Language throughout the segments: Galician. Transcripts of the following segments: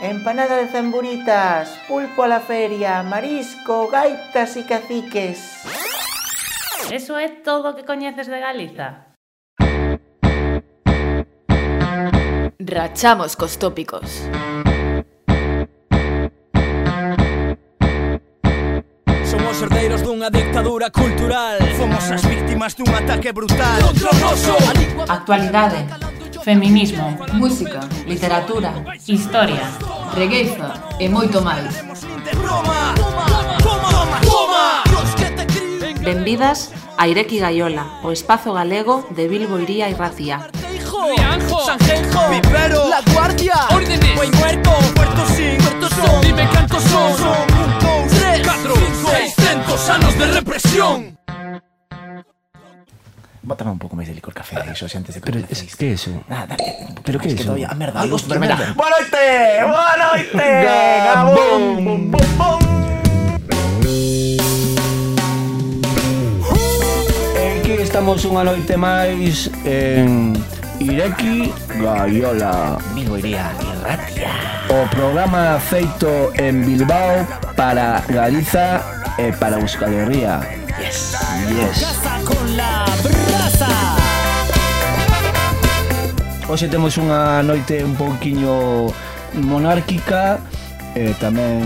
empanada de zamburitas, pulpo a la feria, marisco, gaitas e caciques. Eso é todo o que coñeces de Galiza? Rachamos cos tópicos. Somos herdeiros dunha dictadura cultural. Fomos as víctimas dun ataque brutal Contra o noso. Actualidade, feminismo, Música, literatura, historia. regueiza e moito máis. Roma. Toma, toma. Benvidas a Ireki Gaiola, o espazo galego de Bilbo, Iría e Racía. Rianjo, Sanjenjo, Vivero, La Guardia, Órdenes, Buen Muerto, Puerto Sin, Puerto Son, dime cantos son. Son un, dous, 3, 4, 600 anos de represión. Bótame un pouco máis de licor café, iso, antes de que Pero, empecéis. que é eso? Nada, dale un pouco Pero máis, que é que eso? todavía a merda. Algo Pero venga. tremendo. Boa noite, Gabón, bum, bum, bum. Aquí estamos unha noite máis en Ireki Gaiola, Bilbo, Iría e Ratia. o programa feito en Bilbao para Galiza e para Euskal Herria. Yes. Casa con la brasa. Hoxe temos unha noite un pouquiño monárquica e tamén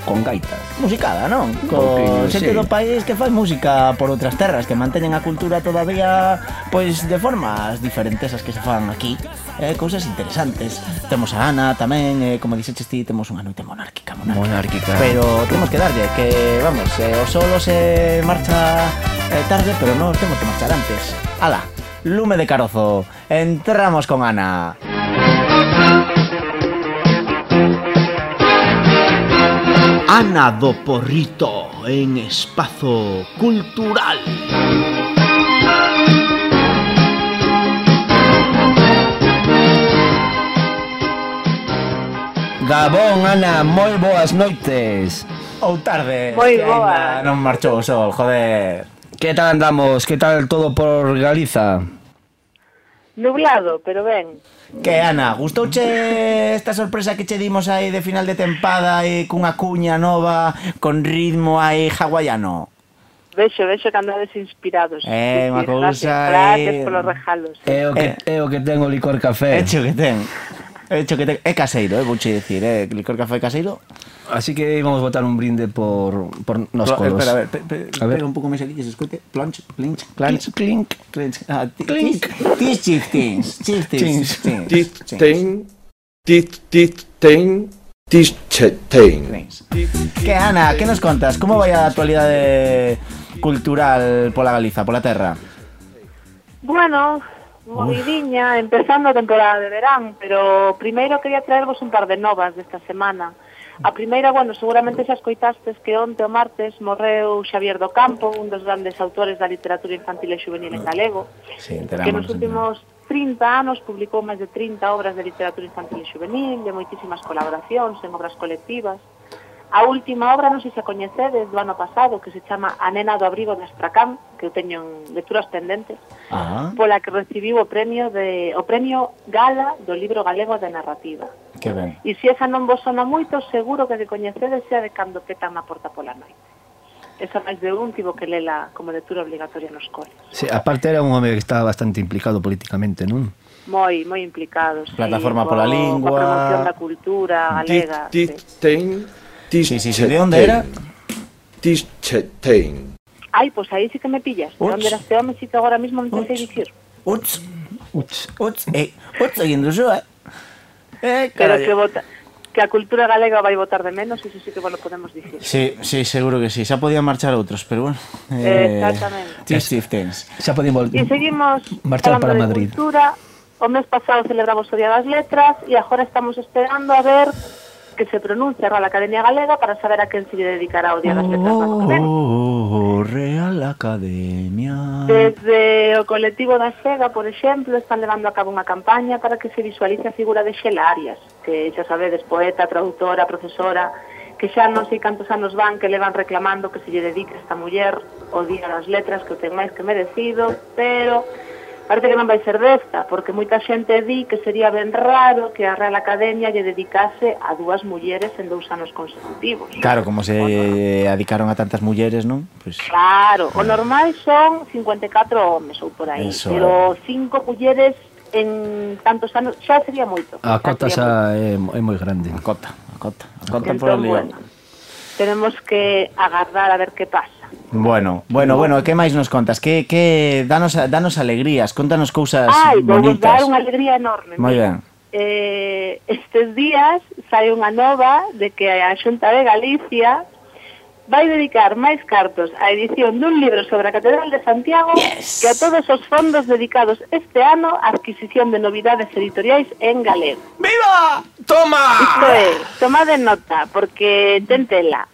con gaitas. Musicada, non? pouquiño, Co xente sí. do país que fai música por outras terras, que manteñen a cultura todavía pois de formas diferentes as que se fan aquí. Cousas interesantes. Temos a Ana tamén, como dixeches ti, temos unha noite monárquica. Monárquica. Pero temos que darlle, que vamos, o solo se marcha tarde, pero non temos que marchar antes. Ala, lume de carozo. Entramos con Ana. Ana do Porrito en Espazo Cultural. Gabón, Ana, moi boas noites. Ou tarde. Moi que boa. aínda non marchou o sol, joder. Que tal andamos? Que tal todo por Galiza? Nublado, pero ben. Que, Ana, gustouche esta sorpresa que che dimos aí de final de tempada e cunha cuña nova con ritmo aí hawaiano? Vexo que andades inspirados. Unha cousa Gracias polos regalos. É o que ten o licor café. Hecho que ten. É caseiro, vouche dicir, licor café caseiro. Así que íbamos botar un brinde por nos colos. Espera, a ver, A ver. pega un pouco máis aquí que se escoite. Plunch, clinch, Clink, clink. clinch. Clink. Chieftains. Que, Ana, que nos contas? Como vai a actualidade cultural pola Galiza, pola terra? Bueno, movidiña, empezando a temporada de verán, pero primeiro quería traervos un par de novas desta semana. A primeira, bueno, seguramente xa escoitastes que onte o martes morreu Xavier do Campo, un dos grandes autores da literatura infantil e juvenil en galego, Sí, que nos últimos 30 anos publicou máis de 30 obras de literatura infantil e juvenil, de moitísimas colaboracións en obras colectivas. A última obra, non sei se a coñecedes, do ano pasado, que se chama A nena do abrigo de Astracán, que eu teño en lecturas pendentes, pola que recibiu o premio Gala do Libro Galego de Narrativa. Que ben. E se esa non vos sona moito, seguro que de coñecedes xa de cando petan na porta pola noite. Esa máis de un tivo que lela como lectura obligatoria nos coles. Sí, aparte era un home que estaba bastante implicado políticamente, non? Moi implicados. Plataforma pola lingua. Coa promoción da cultura galega. Sí, de onde era? Ai, pois aí sí que me pillas. De onde era este home, sí que agora mismo non te sei dicir. Uts, seguindo xo, Pero que a cultura galega vai votar de menos, iso sí que vos lo podemos dicir. Sí, seguro que sí. Xa podían marchar outros, pero bueno. Exactamente. Chieftains. Xa podíamos E seguimos marchar falando para de Madrid. cultura. O mes pasado celebramos o Día das Letras e agora estamos esperando a ver que se pronuncia a Real Academia Galega para saber a quen se lle dedicará o Día das Letras do ano que ven. Real Academia. Desde o colectivo da Xega, por exemplo, están levando a cabo unha campaña para que se visualice a figura de Xela Arias, que xa sabedes, poeta, traductora, profesora, que xa non sei cantos anos van que levan reclamando que se lle dedique esta muller o Día das Letras, que o ten máis que merecido, pero Parece que non vai ser desta, porque moita xente di que sería ben raro que a Real Academia lle dedicase a 2 mulleres en 2 anos consecutivos. Claro, como se adicaron a tantas mulleres, non? Pues... Claro, o normal son 54 homes ou por aí, Eso pero 5 mulleres en tantos anos xa sería moito. A cota xa é moi grande. A cota por Entón, ali. bueno, tenemos que agardar a ver que pasa. Bueno, que máis nos contas? Que danos alegrías, contanos cousas vou bonitas. dar unha alegría enorme. Moi ben. Estes días sai unha nova de que a Xunta de Galicia vai dedicar máis cartos á edición dun libro sobre a Catedral de Santiago que a todos os fondos dedicados este ano á adquisición de novidades editoriais en galego. ¡Viva! ¡Toma! Isto é, tomade nota, porque ten tela.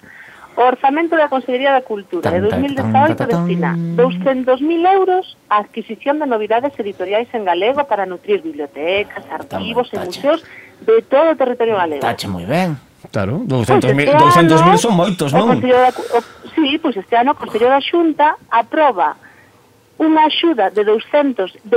O orzamento da Consellería da Cultura de 2018 destina 200.000 euros á adquisición de novidades editoriais en galego para nutrir bibliotecas, arquivos e museos de todo o territorio galego. Tache moi ben. Claro, 200.000 son moitos, non? Sí, pois este ano o Consello da Xunta aproba unha axuda de 210.000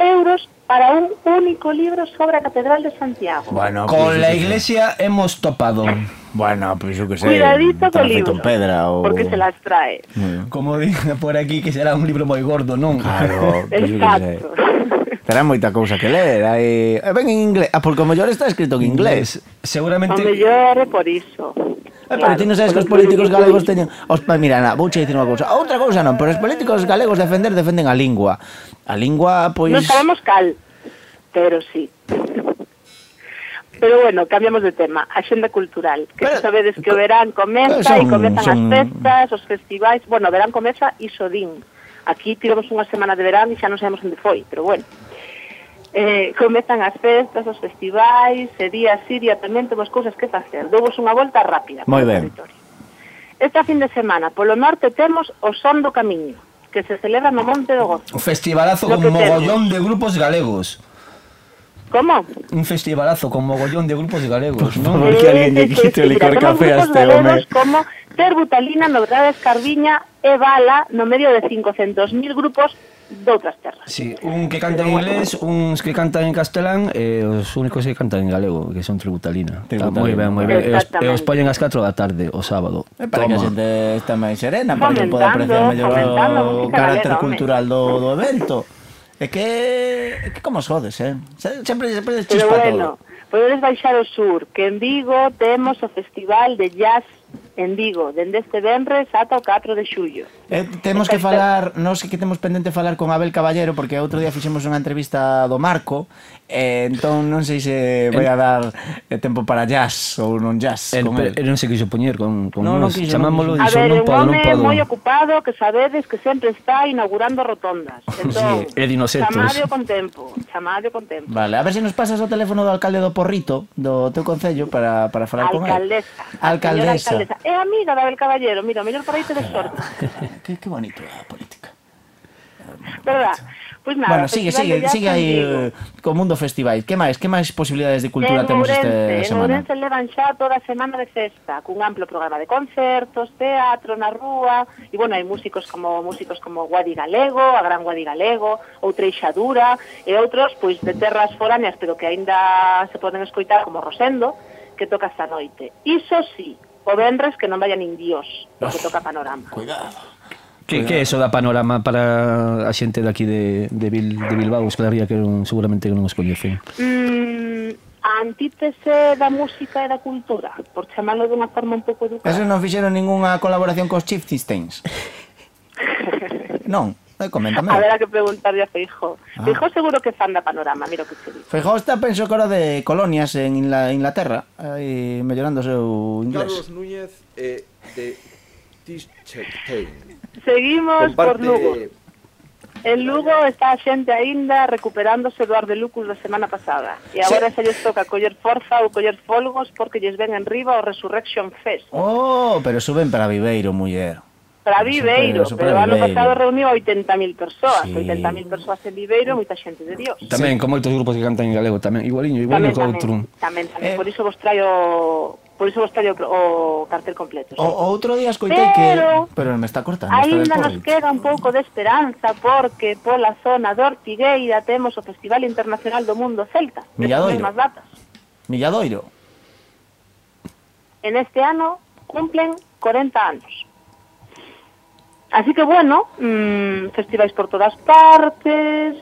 euros para un único libro sobre a Catedral de Santiago. Bueno, Con la iglesia hemos topado. Bueno, pois eu que sei. Cuidadito co feito libro, en pedra ou... porque se las trae. Como diga por aquí que será un libro moi gordo, non? Claro, pois eu que sei. Exacto. Terá moita cousa que ler. Ben en inglés. Porque o mellor está escrito en inglés. Seguramente... O mellor é por iso. Pero ti non sabes que os políticos galegos teñen... Mira, vouche dicir unha cousa. Outra cousa non, pero os políticos galegos defenden a lingua. A lingua, pois... Non sabemos cal, pero sí. Pero bueno, cambiamos de tema. Axenda cultural. Que Pero, sabedes que o verán comeza e comezan as festas, os festivais. Bueno, o verán comeza iso din. Aquí tivemos unha semana de verán e xa non sabemos onde foi, pero bueno. Comezan as festas, os festivais, e día así, día tamén temos cousas que facer. Douvos unha volta rápida. Moi ben. Esta fin de semana, polo norte, temos o Son do Camiño, que se celebra no Monte do Gozo. Un festivalazo Lo con que mogollón de grupos galegos. Como? Un festivalazo con mogollón de grupos galegos, non? Por que alguén lle quite o licor café a este home. Como Terbutalina, Novedades Carviña e Bala no medio de 500.000 grupos de outras terras. Sí, un que canta en inglés, uns que cantan en castelán e os únicos que cantan en galego, que son Tributalina. Está moi ben, moi ben. E os poñen ás 4 da tarde, o sábado. Para que a xente está máis serena, para que poda apreciar mellor o carácter cultural do evento. É que como sodes, sempre Pero chispa bueno, todo. podedes baixar ao sur, que en Vigo temos o Festival de Jazz en Vigo, dende este venres ata o 4 de xullo. Temos que falar, non sei que temos pendente falar con Abel Caballero, porque outro día fixemos unha entrevista do Marco, entón non sei se vai a dar tempo para jazz ou non jazz con el. Non se quiso poñer con non nos, quiso, chamámoslo e A dixo ver, non un podo, non home podo. moi ocupado que sabedes que sempre está inaugurando rotondas. Entón, Sí, é dinosetos. chamade con tempo, chamade con tempo. Vale, a ver se nos pasas o teléfono do alcalde do Porrito, do teu concello, para falar con el. Alcaldesa. É amiga da Abel Caballero, mira, o mellor para aí te de sorte. Que bonito é a política. Verdad? Pois nada, Bueno, sigue aí co mundo festivais. Que máis posibilidades de cultura temos esta semana? En Ourense levan xa toda a semana de festa, cun amplo programa de concertos, teatro na rúa, e bueno, hai músicos como Guadi Galego, a Gran Guadi Galego, ou Treixadura, e outros, pois, de terras foráneas, pero que aínda se poden escoitar como Rosendo, que toca esta noite. Iso sí, o venres que non vayan indios, porque toca Panorama. Cuidado. Que é eso da Panorama para a xente daqui de Bilbao? Claro, que seguramente non os coñecen. A antítese da música e da cultura, por chamarlo dunha forma un pouco educada. Eso non fixeron ningunha colaboración cos Chieftains? Non, coméntame. A ver, a que preguntarle a Feijó. Feijó seguro que fan da Panorama, mira o que se dice. Feijó está, penso que ahora de colonias en Inglaterra, aí mellorando o seu inglés. Carlos Núñez de Tischtein. Seguimos por Lugo. En Lugo está a xente aínda recuperándose do Arde Lucus da semana pasada. E agora se lles toca coller forza ou coller folgos porque lles ven en riba o Resurrection Fest. Oh, pero suben para Viveiro, muller. Para Viveiro, pero o ano pasado reuniu 80.000 persoas, Sí. 80.000 persoas en Viveiro, moita xente de Dios. Tamén con moitos grupos que cantan en galego, tamén igualiño que outro. Tamén, por iso vos traio o cartel completo. Sí. Outro día escoitei pero me está cortando. Ainda nos queda un pouco de esperanza porque pola zona de Ortigueira temos o Festival Internacional do Mundo Celta. Milladoiro. As datas. Milladoiro. En este ano cumplen 40 anos. Así que, bueno, festivais por todas partes,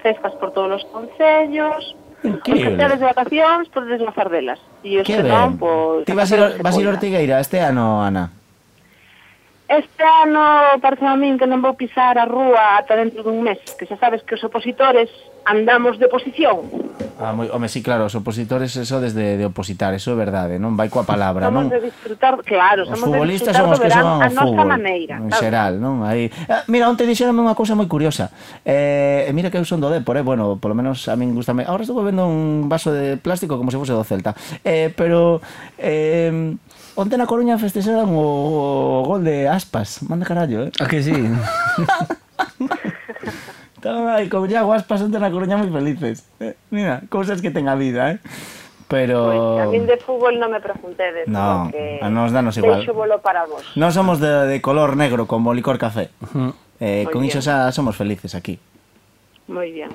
festas por todos os concellos, os que tedes de vacacións, podedes gozar delas. E os que non, pois... Ti vas ir a Ortigueira este ano, Ana? Este ano parece a min que non vou pisar a rúa ata dentro dun mes, que xa sabes que os opositores andamos de oposición. Home, sí, claro, os opositores eso desde de opositar, eso é verdade, non vai coa palabra, non? Somos de disfrutar, claro, os futbolistas son os que son o fútbol, en xeral, non? Aí, mira, onte dixeronme unha cousa moi curiosa, mira que eu son do Depor, bueno, polo menos a min gustame, agora estou bebendo un vaso de plástico como se fose do Celta, pero... onte na Coruña festexaron o gol de Aspas, manda carallo, A que sí? Estaban aí con Iago Aspas onte na Coruña moi felices. Mira, cousas que ten a vida, Pero... Pois, a min de fútbol non me preguntedes, no, porque a nos danos igual. deixo bolo para vos. Non somos de color negro como licor café. Con bien. iso xa somos felices aquí. Moi bien.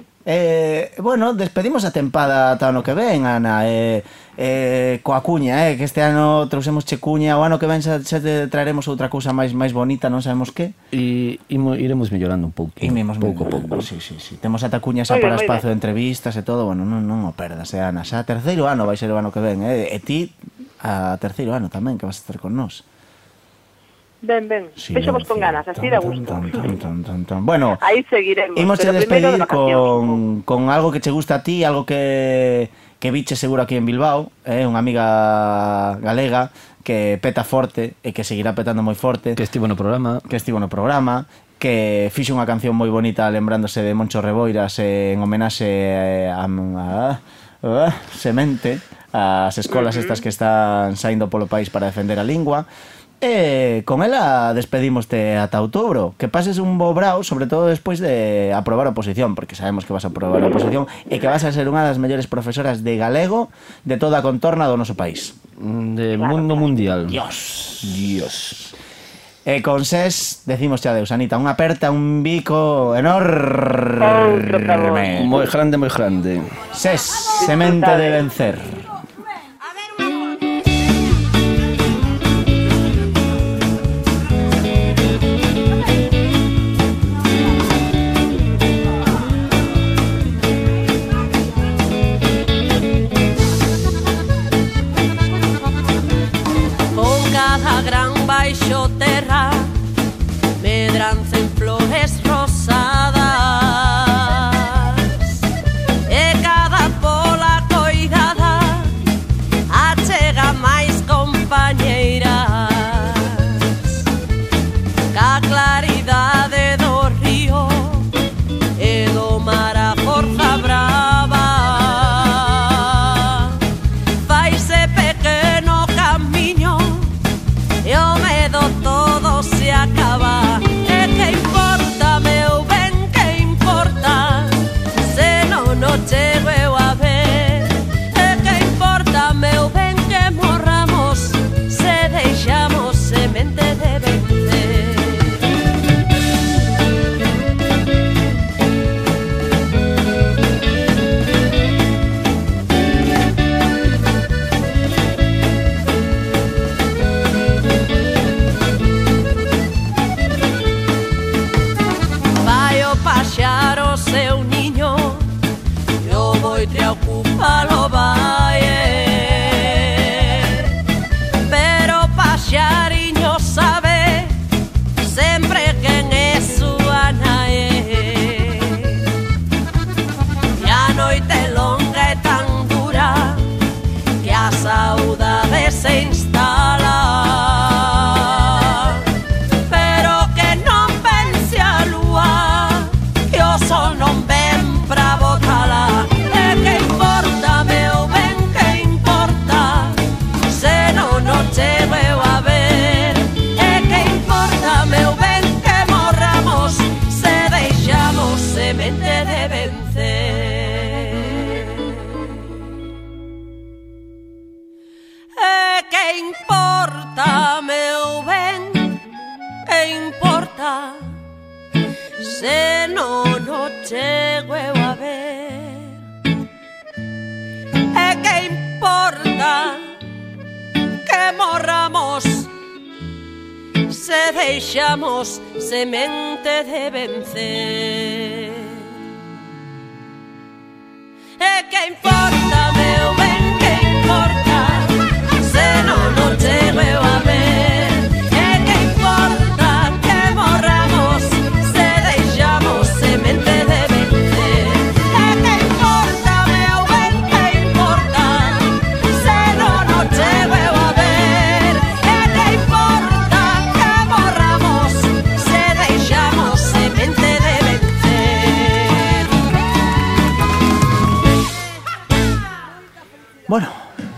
Bueno, despedimos a tempada ata ano que ven, Ana, coa cuña, que este ano trouxemos che cuña, o ano que ven xa te traeremos outra cousa máis bonita, non sabemos que. E iremos mellorando un pouco. Pouco a pouco, sí. Temos ata cuña xa para espazo de entrevistas e todo, bueno, non o perdas, Ana, xa terceiro ano vai ser o ano que ven, e ti a terceiro ano tamén, que vas a estar con nós. Ben, vexo-vos con ganas, así da gusto. Bueno, aí seguiremos. Imos a despedir con algo que che gusta a ti, algo que viche seguro aquí en Bilbao, unha amiga galega que peta forte e que seguirá petando moi forte. Que estivo no programa. Que fixo unha canción moi bonita lembrándose de Moncho Reboiras en homenaxe a Semente, as escolas estas que están saindo polo país para defender a lingua. Con ela despedimoste ata outubro. Que pases un bo brao, sobre todo despois de aprobar a oposición, porque sabemos que vas a aprobar a oposición e que vas a ser unha das mellores profesoras de galego de toda a contorna do noso país. De mundo mundial. Dios. E con SES decimos xa adeus, Anita. Unha aperta, un bico enorme. Moi grande. SES, semente de vencer. Baixo terra medrancen flores rosadas e cada pola coidada achega máis compañeiras ca claridade do río e do mar a forza brava faise pequeno camiño e o medo todo se acaba. E que importa, meu ben, que importa se non o chego eu a ver. E que importa, meu ben, que morramos se deixamos semente de vencer. Paxar o seu niño e o boitre ocupalo vai, pero paxariño sabe sempre quen é súa nai. E a noite longa é tan dura que a saudade se instala. Sol non ven pra botala. E que importa, meu ben, deixamos semente de vencer. E que importa, meu ben, que importa, se non o chego eu a ver. E que importa que morramos, se deixamos semente de vencer. E que importa, meu ben, que importa, se non o chego eu a ver. E que importa que morramos, se deixamos semente de vencer. Bueno,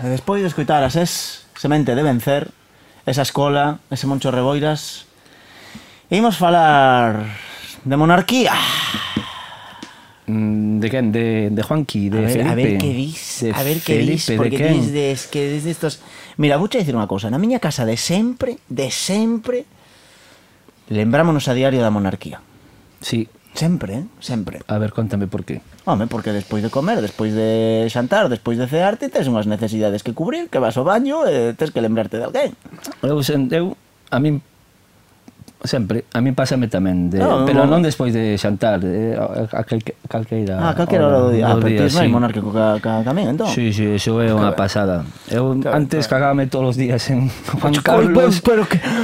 despois de escoitar as Semente de vencer, esa escola, ese Moncho Reboiras, imos falar de monarquía. De quen? De Juanqui, de Felipe. A ver que dis, porque que desde estos... Mira, vouche dicir unha cousa, na miña casa de sempre, lembrámonos a diario da monarquía. Sí. Sempre, sempre. A ver, contame por qué. Home, porque despois de comer, despois de xantar, despois de cearte, tes unhas necesidades que cubrir, que vas ao baño e tes que lembrarte de alguén. A min sempre, a min pásame tamén, pero non despois de xantar, a calqueira hora do día. Pero ti non hai monárquico ca min, entón? Sí, eso é unha pasada. Eu antes cagábame todos os días en Juan Carlos,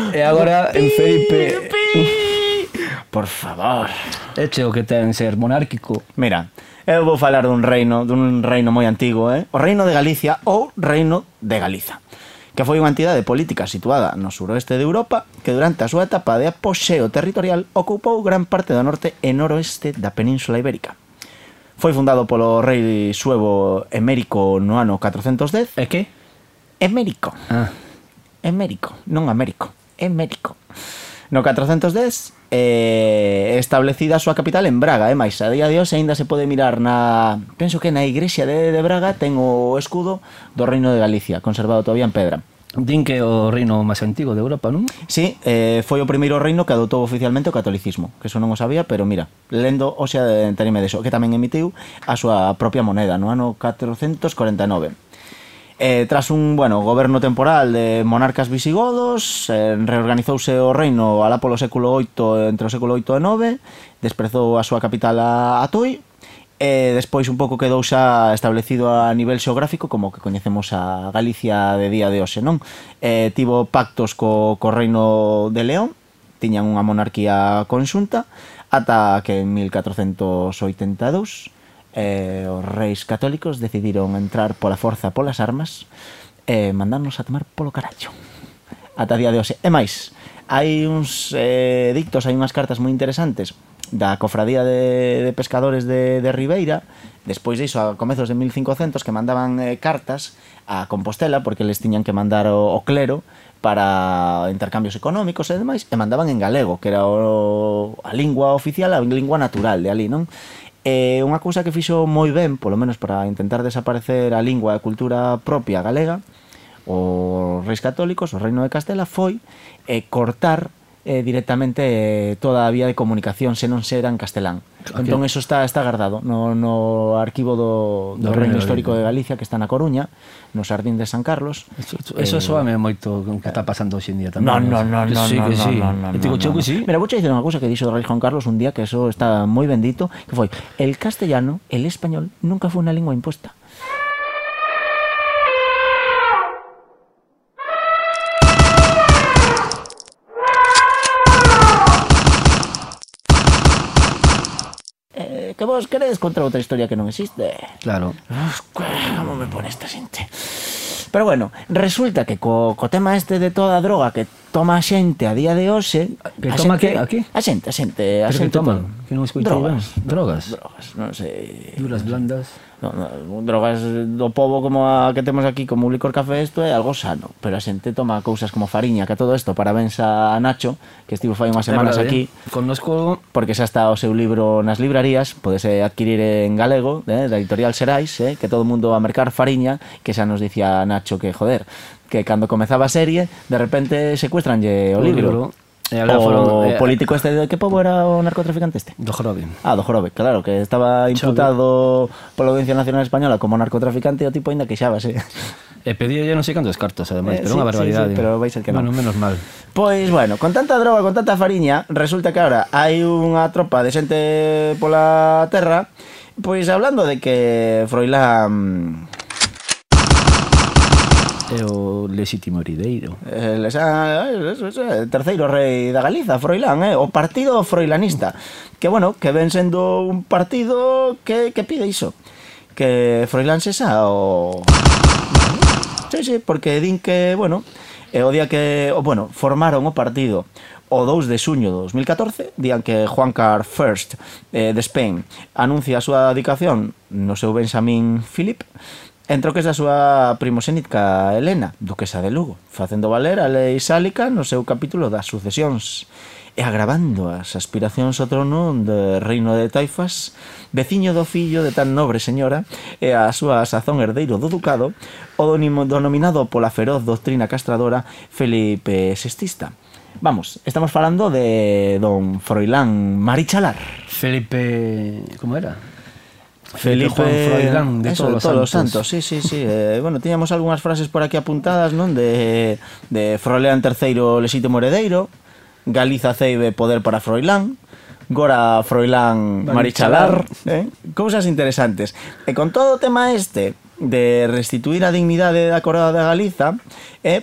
e agora en Felipe. Por favor. Eche o que ten ser monárquico. Mira, eu vou falar dun reino moi antigo, o Reino de Galicia ou Reino de Galiza, que foi unha entidade política situada no suroeste de Europa que durante a súa etapa de apoxeo territorial ocupou gran parte do norte e noroeste da Península Ibérica. Foi fundado polo rei suevo Emérico no ano 410. E que? Emérico. Emérico, non Américo, Emérico. No 410 establecida a súa capital en Braga, máis a día de hoxe aínda se pode mirar penso que na igrexa de Braga ten o escudo do Reino de Galicia, conservado todavía en pedra. Din que é o reino máis antigo de Europa, non? Sí, foi o primeiro reino que adoptou oficialmente o catolicismo, que eso non o sabía, pero mira, lendo hoxe enterime deso, que tamén emitiu a súa propia moneda no ano 449. Tras un goberno temporal de monarcas visigodos, reorganizouse o reino alá polo século VIII, entre o século VIII e IX, desprezou a súa capital a Tui, e despois un pouco quedou xa establecido a nivel xeográfico como que coñecemos a Galicia de día de hoxe, non? Tivo pactos co reino de León, tiñan unha monarquía conxunta, ata que en 1482 os reis católicos decidiron entrar pola forza polas armas e mandarnos a tomar polo carallo ata día de hoxe. E máis, hai uns dictos, hai unhas cartas moi interesantes da cofradía de pescadores de Ribeira, despois diso a comezos de 1500, que mandaban cartas a Compostela porque les tiñan que mandar o clero para intercambios económicos e demais, e mandaban en galego, que era a lingua oficial, a lingua natural de ali, non? Unha cousa que fixo moi ben, polo menos para intentar desaparecer a lingua e a cultura propia galega, os reis católicos, o Reino de Castela, foi cortar directamente toda a vía de comunicación se non era en castelán. Entón eso está guardado no arquivo do Reino Histórico de Galicia, que está na Coruña, no Xardín de San Carlos. Eso soame moito o que está pasando hoxe en día tamén. No. Mira, vouche dicir unha cousa que dixo o rei Juan Carlos un día, que eso está moi bendito, que foi: el castellano, el español, nunca foi unha lingua imposta. Que vos queredes contar outra historia que non existe? Claro. Como me pone esta xente? Pero bueno, resulta que co tema este de toda a droga que toma a xente a día de hoxe... Que toma que? Aquí? A xente. Pero que toma? Que non escoitei ben. Drogas? Drogas, non sei... Duras blandas... drogas do pobo como a que temos aquí, como o licor café, isto é algo sano, pero a xente toma cousas como fariña, que a todo isto, parabéns a Nacho, que estivo fai unhas semanas aquí, connosco, porque xa está o seu libro nas librarías, podese adquirir en galego, da editorial Xerais, que todo o mundo a mercar fariña, que xa nos dicía Nacho que, joder, que cando comezaba a serie, de repente secuestranlle o libro. O político este, de que pobo era o narcotraficante este? Do Jorobe. Do Jorobe, claro, que estaba imputado pola Audiencia Nacional Española como narcotraficante e o tipo ainda queixábase. E pedía non sei cantos cartos, ademais, pero unha barbaridade. Sí, pero vais ser que non. Bueno, menos mal. Pois, bueno, con tanta droga, con tanta fariña, resulta que ahora hai unha tropa de xente pola terra, pois hablando de que Froilán é o lexítimo herdeiro. Terceiro rei da Galiza, Froilán, o partido froilanista. Que, bueno, que ven sendo un partido que pide iso. Que Froilán sexa o... Sí, porque din que, bueno, o día que, bueno, formaron o partido o 2 de xuño de 2014, dían que Juan Carl I de Spain anuncia a súa dedicación no seu Benjamín Philip, entro que é a súa primoxénica Helena, duquesa de Lugo, facendo valer a lei sálica no seu capítulo das sucesións e agravando as aspiracións ao trono de reino de Taifas, veciño do fillo de tan nobre señora e a súa sazón herdeiro do ducado, o denominado pola feroz doctrina castradora Felipe VI. Vamos, estamos falando de don Froilán Marichalar. Felipe... como era? Felipe Juan Froilán de todos os santos. Sí. Bueno, tiñamos algunhas frases por aquí apuntadas, non? De Froilán III lexítimo heredeiro, Galiza ceibe poder para Froilán, Gora Froilán Marichalar, cousas interesantes. E con todo o tema este de restituir a dignidade da coroa de Galiza,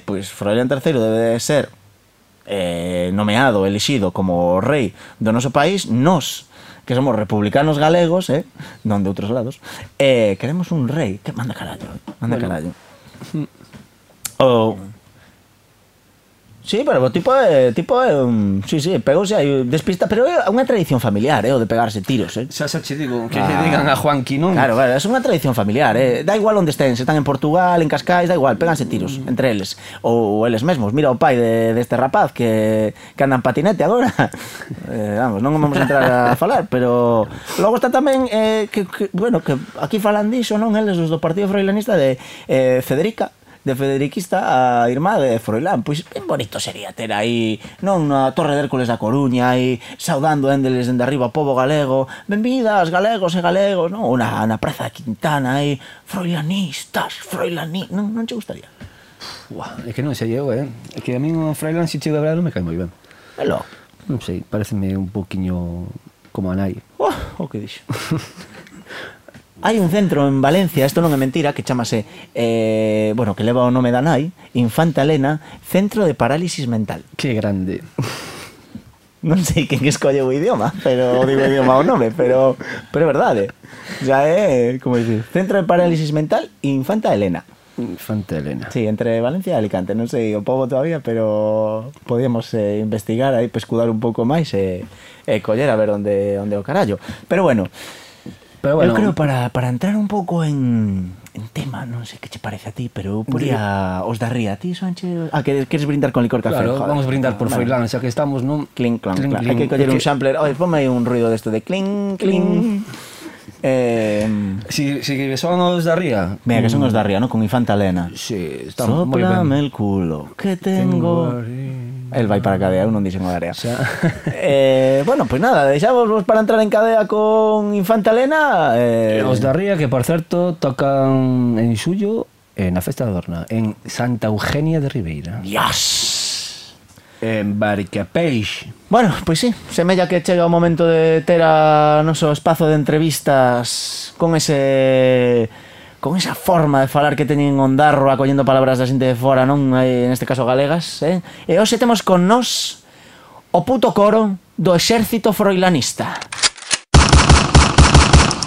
pois Froilán III debe de ser nomeado, elixido como rei do noso país. Nos que somos republicanos galegos, non de outros lados, queremos un rei que manda carallo. Sí, pero o tipo é un... Sí, pegouse aí despista, pero é unha tradición familiar, o de pegarse tiros, Xa che digo, que lle digan a Juanqui, non? Claro, é unha tradición familiar, Da igual onde estén, se están en Portugal, en Cascais, da igual, péganse tiros entre eles. Ou eles mesmos, mira o pai deste rapaz que anda en patinete agora. Vamos, non vamos a entrar a falar, pero... Logo está tamén, bueno, que aquí falan diso, non? Eles, os do Partido Froilanista de Federica, de Federiquista a irmá de Froilán. Pois ben bonito sería ter aí, non, na Torre de Hércules da Coruña, aí saudando endeles dende arriba o pobo galego, benvidas galegos e galegos, non? Ou na Praza de Quintana aí, froilanistas, non che gustaría? É que non sei eu, É que a mí o Froilán, se chego a ver, non me cae moi ben. Velo. Non sei, pareceme un poquinho como a nai. O que dixo? Hai un centro en Valencia, isto non é mentira, que chamase, bueno, que leva o nome da nai, Infanta Elena, Centro de Parálisis Mental. Que grande. Non sei quen escolle o idioma, pero digo o idioma o nome, pero é verdade. Ya é, como dicir, Centro de Parálisis Mental, Infanta Elena. Infanta Elena. Sí, entre Valencia e Alicante, non sei o pobo todavía, pero podíamos investigar aí, pescudar un pouco máis e coller a ver onde o carallo. Pero bueno, eu creo para entrar un pouco en tema, non sei que che parece a ti, pero eu poría os da Ría. A ti, Sánchez... queres brindar con licor café? Claro, vamos a brindar por Froilán, xa que estamos, non? Clink, clon, clon. Hai que coller un sampler. Oye, ponme aí un ruido desto de clink, clink. Si son os da Ría. Mira, que son os da Ría, non? Con Infanta Elena. Sí, está moi ben. Sóplame el culo, que tengo... El vai para a cadea, eu non dixen o da Ría. Bueno, pois nada, deixamos para entrar en cadea con Infanta Elena. Os da Ría, que por certo tocan en xullo na Festa da Dorna, en Santa Eugenia de Ribeira. Dios! En Baricapeix. Bueno, pois sí, semella que chega o momento de ter a noso espazo de entrevistas con esa forma de falar que teñen ondarro acollendo palabras da xente de fora, non? En este caso galegas, E hoxe temos con nós o puto coro do exército froilanista.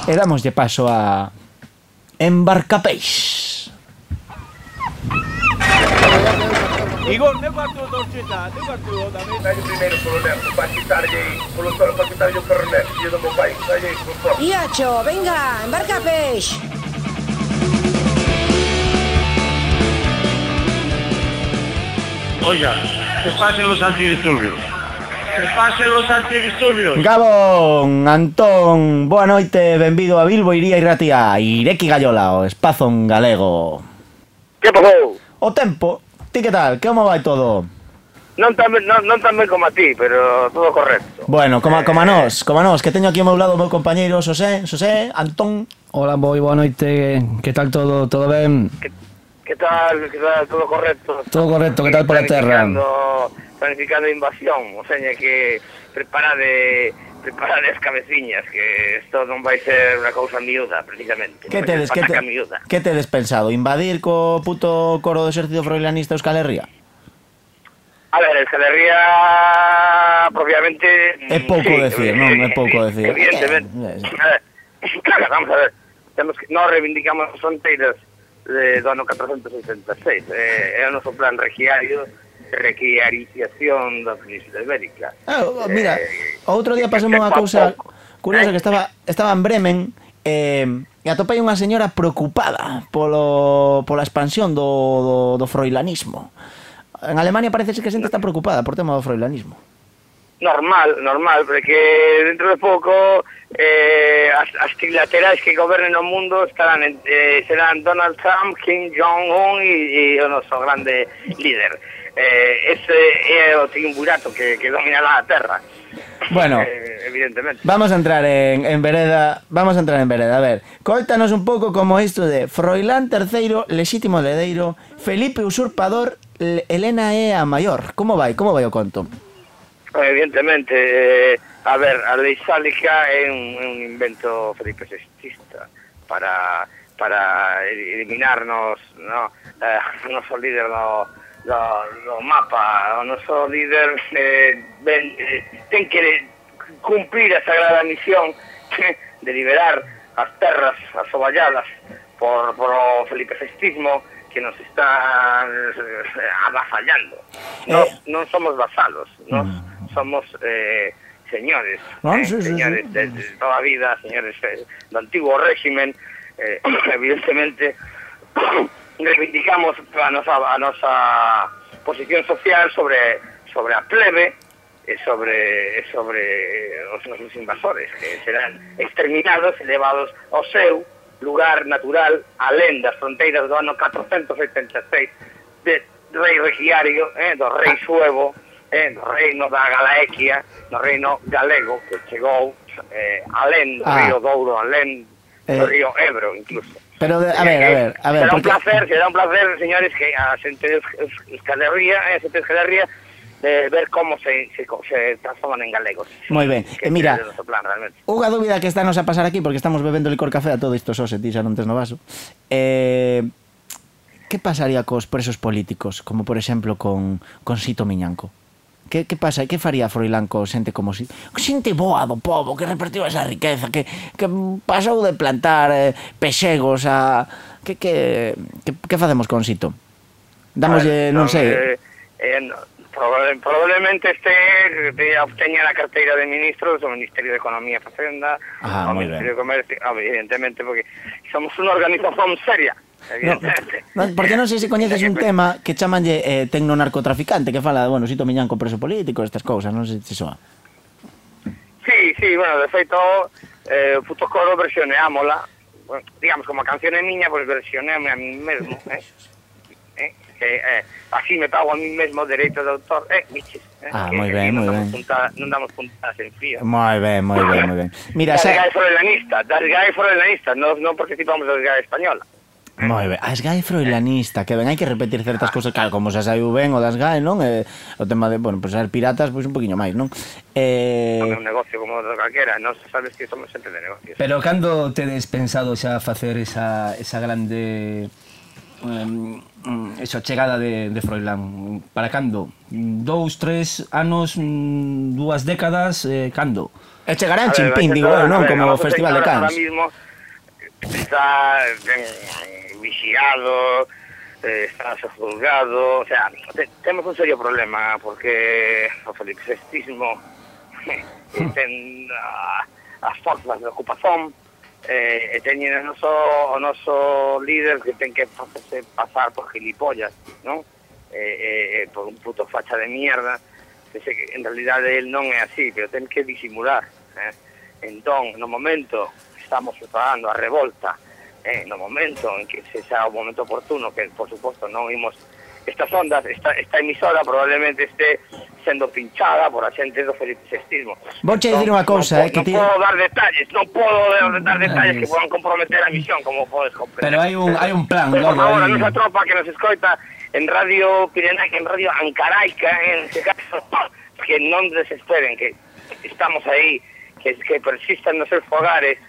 E damoslle paso a Embarcapeix. Igor, ne guardo dolcetà, ne guardo tamén. Dai primeiro polo lerdo, para quitarlle, polo solo para quitarlle o pernet, e do meu pai, dai, por favor. Iacho, venga, Embarcapeix. Oiga, que pasen los antidisturbios. Que pasen los antidisturbios. Gabón, Antón, boa noite, benvido a Bilbo Iría Irratia, Ireki Gaiola, o espazo en galego. Que pasou? O tempo, ti que tal, como vai todo? Non tan ben como a ti, pero todo correcto. Bueno, como a nós, que teño aquí ao meu lado o meu compañeiro Xosé, Antón. Hola, moi boa noite. Que tal todo? Todo ben? Que tal? Todo correcto? Todo correcto, que tal por a terra? Planificando invasión, o sea, que preparade as cabeciñas, que isto non vai ser unha cousa miúda, precisamente. Que tedes pensado? Invadir co puto coro do exército froilanista Euskal Herria? A ver, Euskal Herria propiamente... É pouco decir, non? É pouco decir. Evidentemente. Vamos a ver, nós reivindicamos as fronteiras do ano 486. É o noso plan requiarización da Península Ibérica. Mira, outro día pasou unha cousa curiosa, que estaba en Bremen e atopei unha señora preocupada pola expansión do froilanismo. En Alemania parece que a xente está preocupada por tema do froilanismo. Normal, porque dentro de pouco as trilaterais que gobernen o mundo serán Donald Trump, Kim Jong-un e o noso grande líder. Ese é o triunvirato que dominará a Terra. Bueno, evidentemente. Vamos a entrar en vereda. A ver, cóitanos un pouco como isto de Froilán III, lexítimo heredeiro, Felipe usurpador, Helena é a maior. Como vai o conto? Evidentemente, a ver, a lei sálica é un invento Felipe VI para eliminarnos, no, o noso líder do mapa. O noso líder ten que cumplir a sagrada misión de liberar as terras asoballadas por o Felipe VI, que nos está avasallando. Non somos vasalos, nos somos señores, señores de toda a vida, señores do antigo régimen. Evidentemente reivindicamos a nosa posición social sobre a plebe e sobre os nosos invasores, que serán exterminados e levados ao seu lugar natural, alén das fronteiras do ano 486 de rei regiario, do rei suevo, do reino da Galaequia, do reino galego, que chegou alén do río Douro, alén do río Ebro, incluso. Pero, a ver... Será un placer, señores, que a xente de Euskal Herria, de ver como se transforman en galegos. Moi ben. Mira, unha dúbida que está nos a pasar aquí, porque estamos bebendo licor café a todo isto, Xose, ti xa non tes no vaso. Que pasaría cos presos políticos, como por exemplo con Sito Miñanco? Que pasa? Que faría Froilán co xente como xente boa do pobo, que repartiu esa riqueza, que pasou de plantar pexegos a... Que facemos con Sito? Damoslle, non sei... Probablemente obteña a carteira de ministros do Ministerio de Economía e Facenda, o Ministerio de Comercio, evidentemente, porque somos unha organización seria. Porque non sei se coñeces un tema que chamanlle tecnonarcotraficante, que fala de, Sito Miñanco preso político, estas cousas, non sei se soa. Sí, bueno, de feito, puto coro versioneámola, digamos, como a canción é miña, pois versioneame a mí mesmo, así me pago a mí mesmo dereito de autor, biches. Moi ben. Non damos puntadas en fío. Moi ben. Mira, das GAE froilanistas, non participamos das GAE española. Moi ben, as GAE froilanista, que ben, hai que repetir certas cousas, claro, como xa saiu ben o das GAE, non? O tema de, ser piratas, pois un poquinho máis, non? Non é un negocio como do calquera, non sabes que somos xente de negocios. Pero cando tedes pensado xa facer esa grande... esa chegada de Froilán? Para cando? 2, 3 anos, 2 décadas, cando? E chegará en Chimpín, digo, non? Como o Festival de Cannes. Ahora mismo está vigiado, está juzgado, o sea, temos un serio problema, porque o Felipe VI ten as forzas de ocupación, e teñen o noso líder que ten que facerse pasar por gilipollas, non? Por un puto facha de mierda, que en realidade el non é así, pero ten que disimular. Entón, no momento estamos preparando a revolta, no momento en que se xa o momento oportuno, que por suposto non imos estas ondas, esta emisora probablemente este sendo pinchada por a xente do felicestismo. Vouche dicir unha cousa, non podo dar detalles, non podo dar detalles que podan comprometer a misión, como podes comprender. Pero hai un plan, Por logo favor, a aí. nosa tropa que nos escoita en Radio Pirenaica, en Radio Ancaraica, en este caso, que non desesperen, que estamos aí, que persistan nos seus fogares,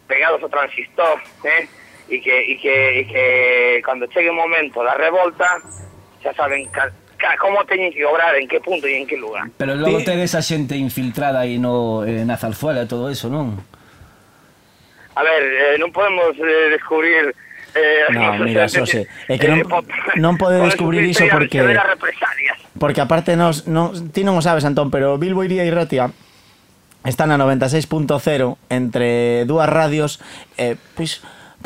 pegados ao transistor, e que cando chegue o momento da revolta, xa saben como teñen que obrar, en que punto e en que lugar. Pero logo ten esa xente infiltrada aí na Zarzuela e todo eso, non? A ver, non podemos descubrir... No, mira, Xosé, é que non pode descubrir iso porque aparte ti non o sabes, Antón, pero Bilbo Iría e Ratia están a 96.0 entre dúas radios pois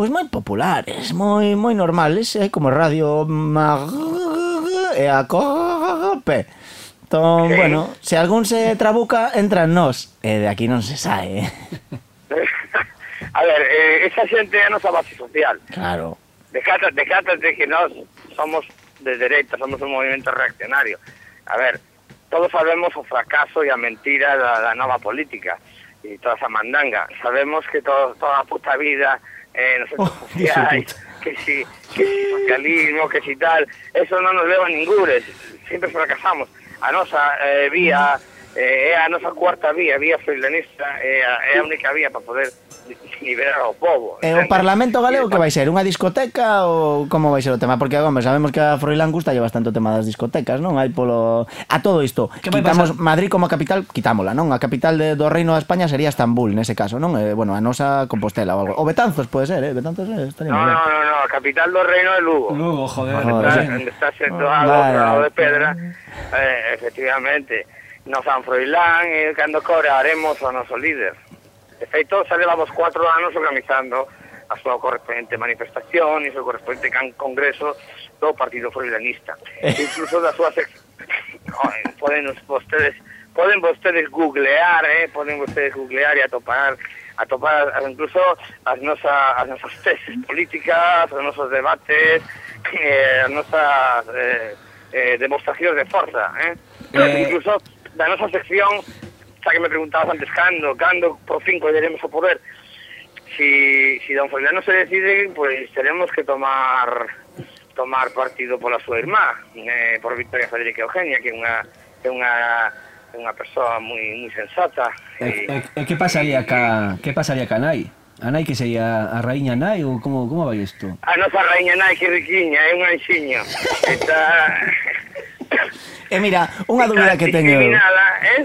moi populares, moi normales, como Radio e a Cope. Entón, bueno, se algún se trabuca, entra en nós, e de aquí non se sae. A ver, esa xente é a nosa base social. Claro. Decátate que nós somos de dereita, somos un movimento reaccionario. A ver, todos sabemos o fracaso e a mentira da nova política e toda esa mandanga. Sabemos que toda a puta vida nos centros sociais, que si socialismo, que si tal, eso non nos leva a ningures, sempre fracasamos. A nosa vía é a nosa cuarta vía freiranista, é a única vía para poder liberar ao povo. E o Parlamento Galego que vai ser? Unha discoteca ou como vai ser o tema? Porque, home, sabemos que a Froilán gusta lle bastante o tema das discotecas, non? Hai polo... A todo isto, quitamos Madrid como capital, quitámola, non? A capital do Reino de España sería Estambul, nese caso, non? Bueno, a nosa Compostela ou algo. O Betanzos, pode ser, Betanzos estaría moi ben. No, a capital do Reino é Lugo. Lugo, joder. Onde está situado o de Pedra, efectivamente. No San Froilán, cando cobraremos o noso líder. De feito, xa levamos 4 anos organizando a súa correspondente manifestación e o seu correspondente congreso do Partido Froilanista. Incluso da súa sección... Poden vostedes googlear, e atopar incluso as nosas tesis políticas, os nosos debates, as nosas demostracións de forza, incluso da nosa sección, xa que me preguntabas antes, cando por fin colleremos o poder. Si don Froilán non se decide, pues tenemos que tomar partido pola súa irmá, por Victoria Federica Eugenia, que é unha persoa moi sensata. E que pasaría ca nai? A nai que sería a raíña nai ou como vai isto? A nosa raíña nai que riquiña, é un anxiño. Mira, unha dúbida que teño eu.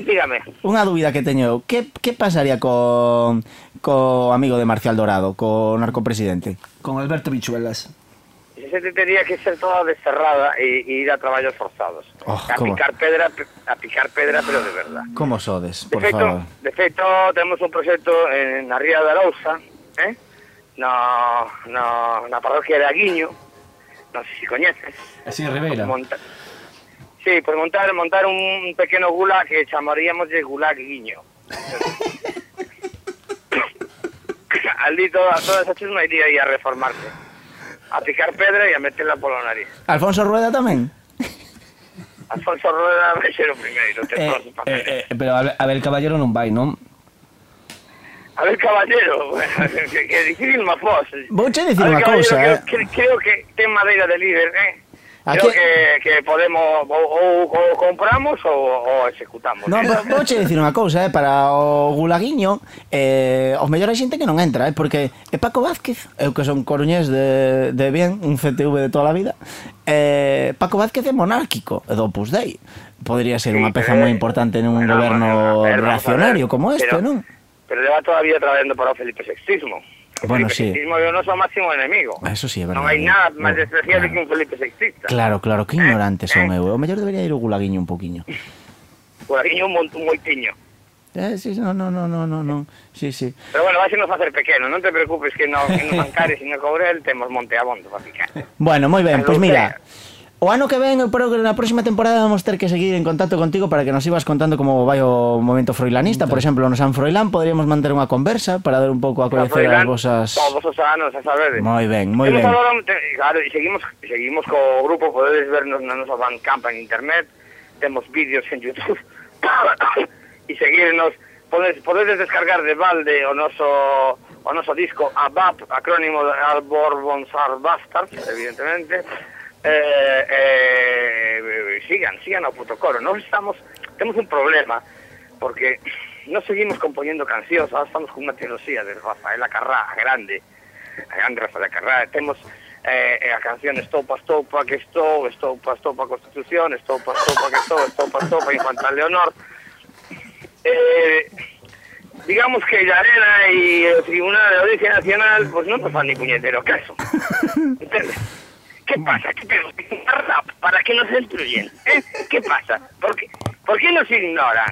Dígame. Unha dúbida que teño eu. Que pasaría co amigo de Marcial Dorado, co narcopresidente? Con Alberto Bichuelas. Ese tería que ser toda desterrada e ir a traballos forzados. A picar pedra, pero de verdad. Como sodes, por favor? De feito, temos un proxecto na Ría de Arousa, na parroquia de Aguiño, non sei se coñeces. Así, Ribeira. Sí, por montar un pequeno gulag que chamaríamos de gulag Guiño. Ali toda esa chusma iría aí a reformarse. A picar pedra e a meterla polo nariz. Alfonso Rueda tamén? Alfonso Rueda vai ser o primeiro. Pero Abel Caballero non vai, non? Abel Caballero, que difícil má fos. Vouche dicir unha cousa, Creo que ten madeira de líder, Creo que podemos ou compramos ou executamos. Non, vouche dicir unha cousa, para o gulaguiño os mellores xente que non entra, porque Paco Vázquez, eu que son coruñés de bien, un CTV de toda a vida, Paco Vázquez é monárquico, é do Opus Dei. Podría ser unha peza moi importante nun goberno reaccionario como este, non? Pero leva todavía traballando para o Felipe Sextismo. Bueno, sí. Felipe Sextismo é o noso máximo enemigo. Eso sí, é verdade. Non hai nada máis despreciable que un Felipe Sextista. Claro, que ignorante son eu. O mellor debería ir o gulaguiño un poquinho. Gulaguiño un moitiño. Sí, no. Sí. Pero bueno, vais a nos facer pequeno, non te preocupes que no Mancares e no Courel temos Monte Abondo para picar. Bueno, moi ben, pois mira, O ano que ven, pero que na próxima temporada vamos ter que seguir en contacto contigo para que nos ibas contando como vai o movimento froilanista. Por exemplo, no San Froilán poderíamos manter unha conversa para dar un pouco a coñecer as vosas... Todos os anos, a sabedes. Moi ben, moi ben. Claro, e seguimos co grupo, podedes vernos na nosa Bandcamp en internet, temos vídeos en YouTube, e seguirnos, podedes descargar de balde o noso disco ABAP, acrónimo de Albor Bonsar Bastards, evidentemente. Sigan ao puto coro. Temos un problema porque non seguimos compoñendo cancións, ahora estamos con unha trilogía de Rafaela Carrá, a grande Rafaela Carrá. Temos a canción Estopa, Estopa, que estou, Estopa, Estopa, Constitución, Estopa, Estopa, que estou, Estopa, Estopa, Infanta Leonor. Digamos que la Arena y el Tribunal de Audiencia Nacional pues no nos fan ni puñetero caso. ¿Entiendes? ¿Qué pasa? ¿Qué tenemos que hacer rap para que nos destruyen? ¿Qué pasa? ¿Por qué nos ignoran?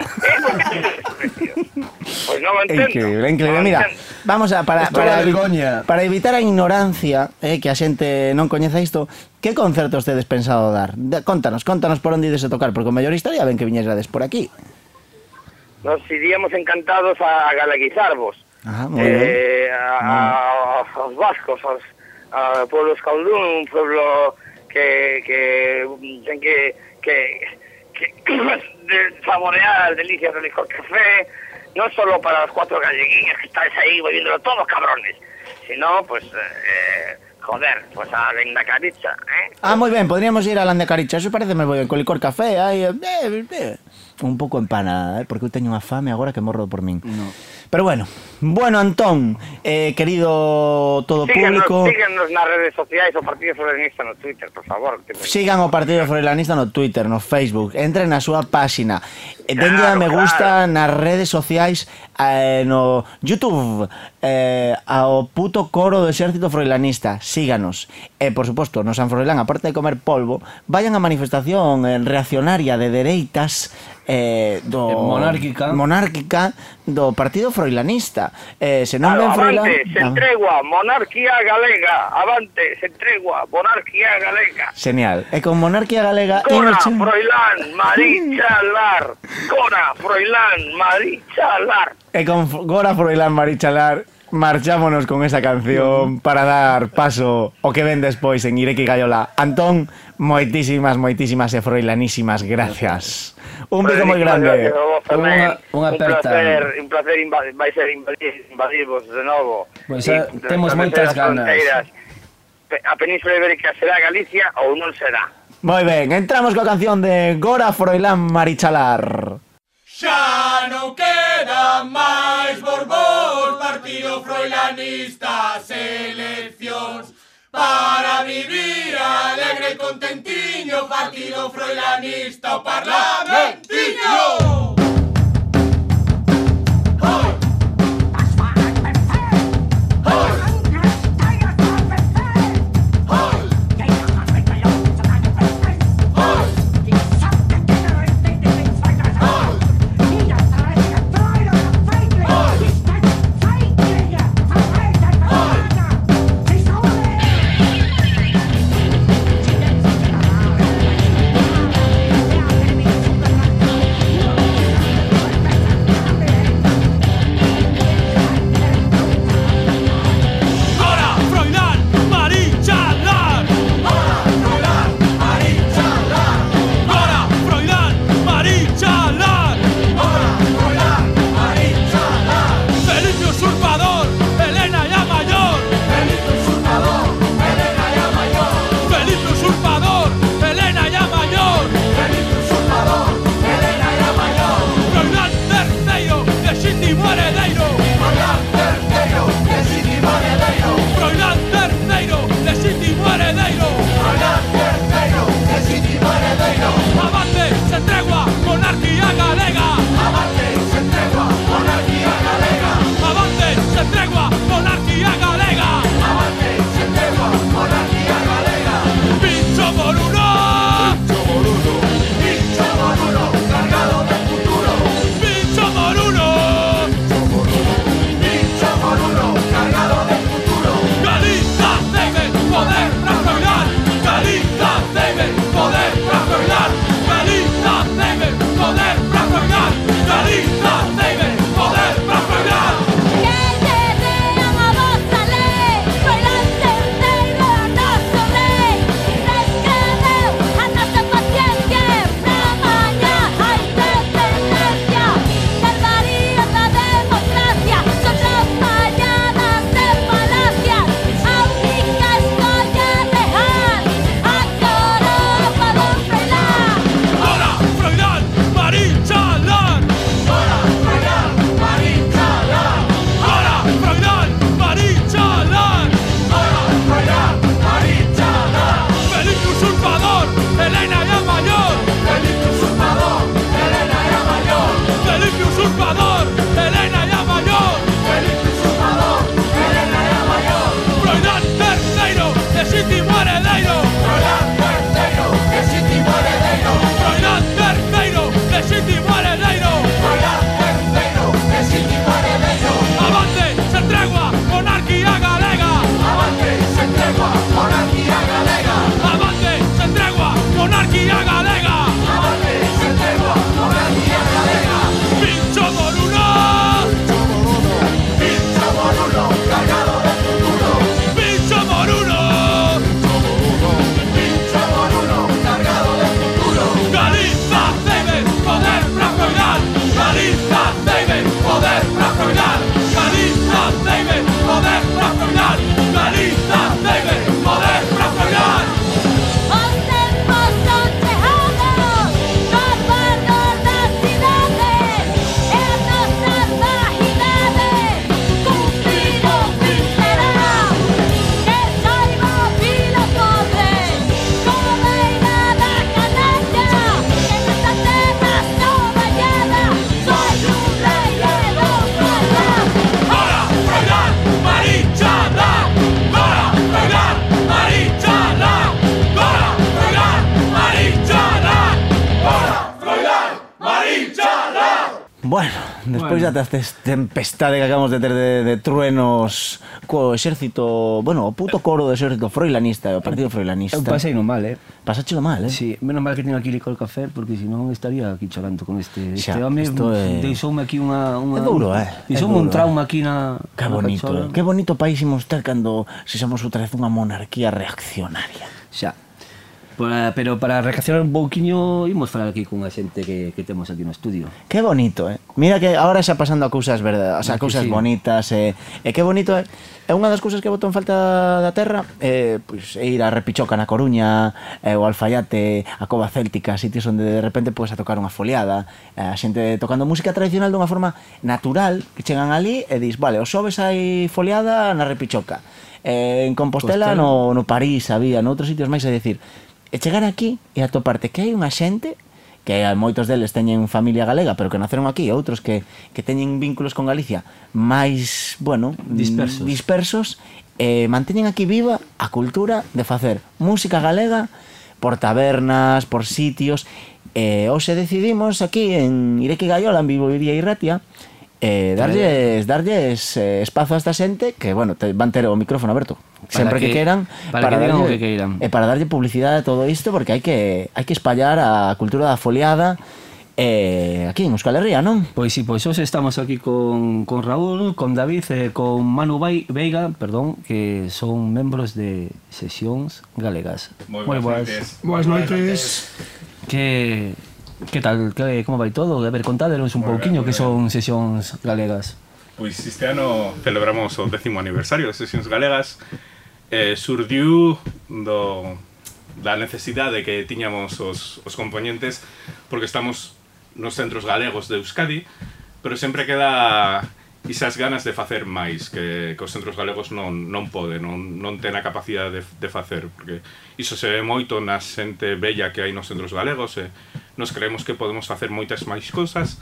Pues no lo entiendo. Increíble. Mira, vamos a para evitar a ignorancia, que a xente non coñeza isto, que concertos tedes pensado dar? Contanos por onde ides a tocar, porque o mellor estaría ben que viñesades por aquí. Nos iríamos encantados a galeguizarvos. Aos vascos, a pueblo escaldún, un pueblo que saborear las delicias del licor café, no solo para los 4 galleguines que estáis ahí bebiéndolo todos cabrones, sino pues joder, pues a Landacaricha, moi ben, podríamos ir a Landacaricha, eso parece moi ben, con licor café, un pouco empana, porque eu teño unha fame agora que morro por min. No. Pero bueno, Antón, querido todo público... Síguenos nas redes sociais o Partido Froilanista no Twitter, por favor. Sigan o Partido Froilanista no Twitter, no Facebook, entren na súa páxina, denlle a me gusta nas redes sociais, no YouTube, ao puto coro do Exército Froilanista, síganos. E, por suposto, no San Froilán, aparte de comer polvo, vayan a manifestación reaccionaria de dereitas monárquica do Partido Froilanista. Se non ven Froilán... Avante, se entregua, monarquía galega. Avante, se entregua, monarquía galega. Genial. E con monarquía galega... Cora, Froilán, Marichalar. Cora, Froilán, Marichalar. E con Gora, Froilán, Marichalar... Marchámonos con esa canción para dar paso o que ven despois en Ireki Gaiola. Antón, moitísimas e froilanísimas gracias. Un beso moi grande. Un placer vai ser invadirvos de novo. Pois temos moitas ganas. A Península Ibérica será Galicia ou non será. Moi ben, entramos coa canción de Gora, Froilán, Marichalar. Xa non queda máis Borbón, Partido Froilanista, seleccións para vivir alegre e contentiño, Partido Froilanista, o Parlamentiño. Despois destas tempestade que acabamos de ter de truenos co exército, bueno, o puto coro do exército froilanista, o partido froilanista. Eu pasei no mal, Pasáchelo mal, Sí, menos mal que teño aquí licor café, porque senón estaría aquí chorando con este home. Deixoume aquí unha... É duro, Deixoume un trauma aquí na... Que bonito, que bonito país imos ter cando sexamos outra vez unha monarquía reaccionaria. Xa. Pero para reaccionar un pouquiño imos falar aquí cunha xente que temos aquí no estudio. Que bonito, Mira que agora xa pasando a cousas verdades, a cousas bonitas, e que bonito, É unha das cousas que boto en falta da terra, pois ir a Repichoca na Coruña, o Alfaiate, a Cova Céltica, sitios onde de repente podes a tocar unha foliada, a xente tocando música tradicional dunha forma natural, que chegan ali e dis, vale, os xoves hai foliada na Repichoca, en Compostela no París había, noutros sitios máis, é dicir, e chegar aquí e atoparte que hai unha xente que moitos deles teñen familia galega pero que naceron aquí, outros que teñen vínculos con Galicia máis, bueno, dispersos e manteñen aquí viva a cultura de facer música galega por tabernas, por sitios, e hoxe decidimos aquí en Ireki Gaiola, en Bilboiría e Ratia, darlles espazo a esta xente que, bueno, van ter o micrófono aberto sempre que queran para darlle publicidade a todo isto, porque hai que espallar a cultura da foliada aquí en Euskal Herria, non? Pois sí, pois hoxe estamos aquí con Raúl, con David e con Manu Veiga, perdón, que son membros de Sesións Galegas. Moi boas noites. Que tal? Como vai todo? A ver, contádenos un pouquiño que son Sesións Galegas. Pois este ano celebramos o 10º aniversario de Sesións Galegas. Surdiu da necesidade que tiñamos os componentes, porque estamos nos centros galegos de Euskadi, pero sempre queda esas ganas de facer máis que os centros galegos non poden, non ten a capacidade de facer, porque iso se ve moito na xente bella que hai nos centros galegos, e nos creemos que podemos facer moitas máis cousas.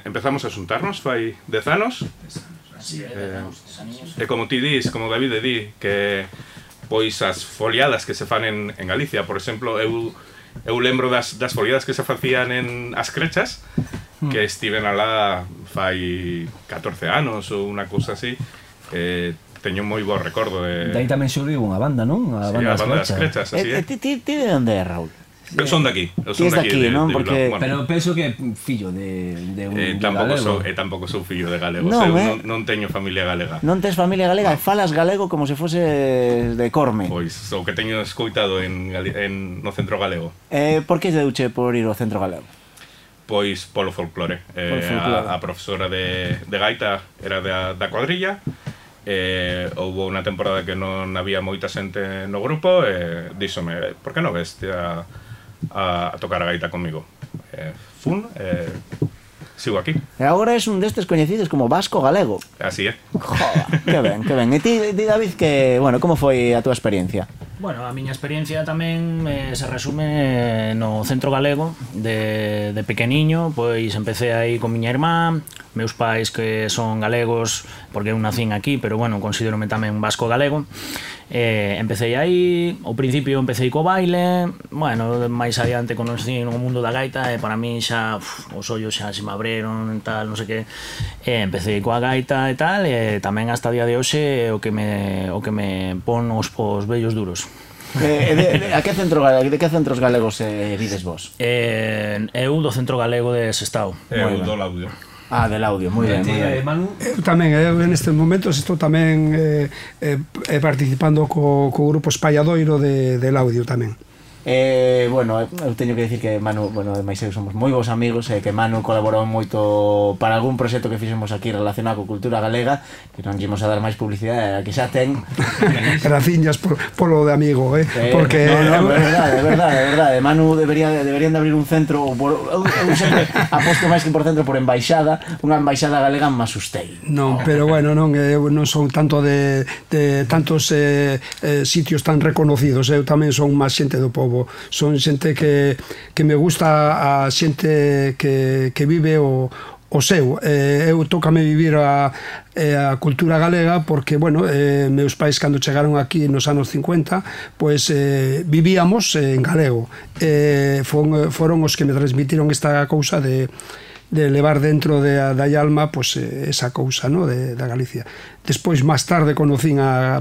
Empezamos a xuntarnos fai 10 anos, e como ti dis, como David di, que pois as foliadas que se fan en Galicia, por exemplo, eu lembro das foliadas que se facían en As Crechas, que estiven alá fai 14 anos ou unha cousa así, teño moi bo recordo de... Daí tamén xurdiu unha banda, non? A banda das Crechas, así é. Ti de onde é, Raúl? Eu son daqui, non? Porque... Pero penso que fillo de un galego. Tampouco sou fillo de galegos, non teño familia galega. Non tes familia galega e falas galego como se fose de Corme. Pois, o que teño escoitado no centro galego. Por que deuche por ir ao centro galego? Pois polo folclore. A profesora de gaita era da cuadrilla, houve unha temporada que non había moita xente no grupo e díxome, por que non veste a tocar a gaita comigo? Sigo aquí. E agora és un destes coñecidos como Vasco Galego. Así é. Joder, que ben. E ti, David, que, bueno, como foi a túa experiencia? Bueno, a miña experiencia tamén se resume no centro galego. De pequeniño, pois empecé aí con miña irmá, meus pais que son galegos, porque eu nacín aquí, pero bueno, considérome tamén vasco galego. Empecé aí, ao principio empecé co baile, bueno, máis adiante conocí no mundo da gaita e para mí xa os ollos xa se me abreron, tal, non sei que. Empecé coa gaita e tal, e tamén hasta o día de hoxe o que me pon os vellos duros. De que centros galegos vides vos? Eu do centro galego de Sestao. Eu do Laudio. Del audio, moi ben. Eu tamén, nestes momentos estou tamén participando co grupo Espalladoiro del audio tamén. Bueno, eu teño que decir que Manu, bueno, ademais somos moi bons amigos e que Manu colaborou moito para algún proxecto que fixemos aquí relacionado con cultura galega, que non ímos a dar máis publicidade, que xa ten. Graciñas polo de amigo, porque no, é verdade. Manu deberían de abrir un centro, eu sempre aposto máis que por centro por embaixada, unha embaixada galega en Masustei. Non, pero bueno, eu non son tanto de tantos sitios tan reconocidos, eu tamén son máis xente do povo. Son xente que me gusta, a xente que vive o seu. Eu tócame vivir a cultura galega porque, bueno, meus pais cando chegaron aquí nos anos 50 pois vivíamos en galego, foron os que me transmitiron esta cousa de levar dentro da alma pois, esa cousa, no? Da Galicia. Despois, máis tarde, conocín a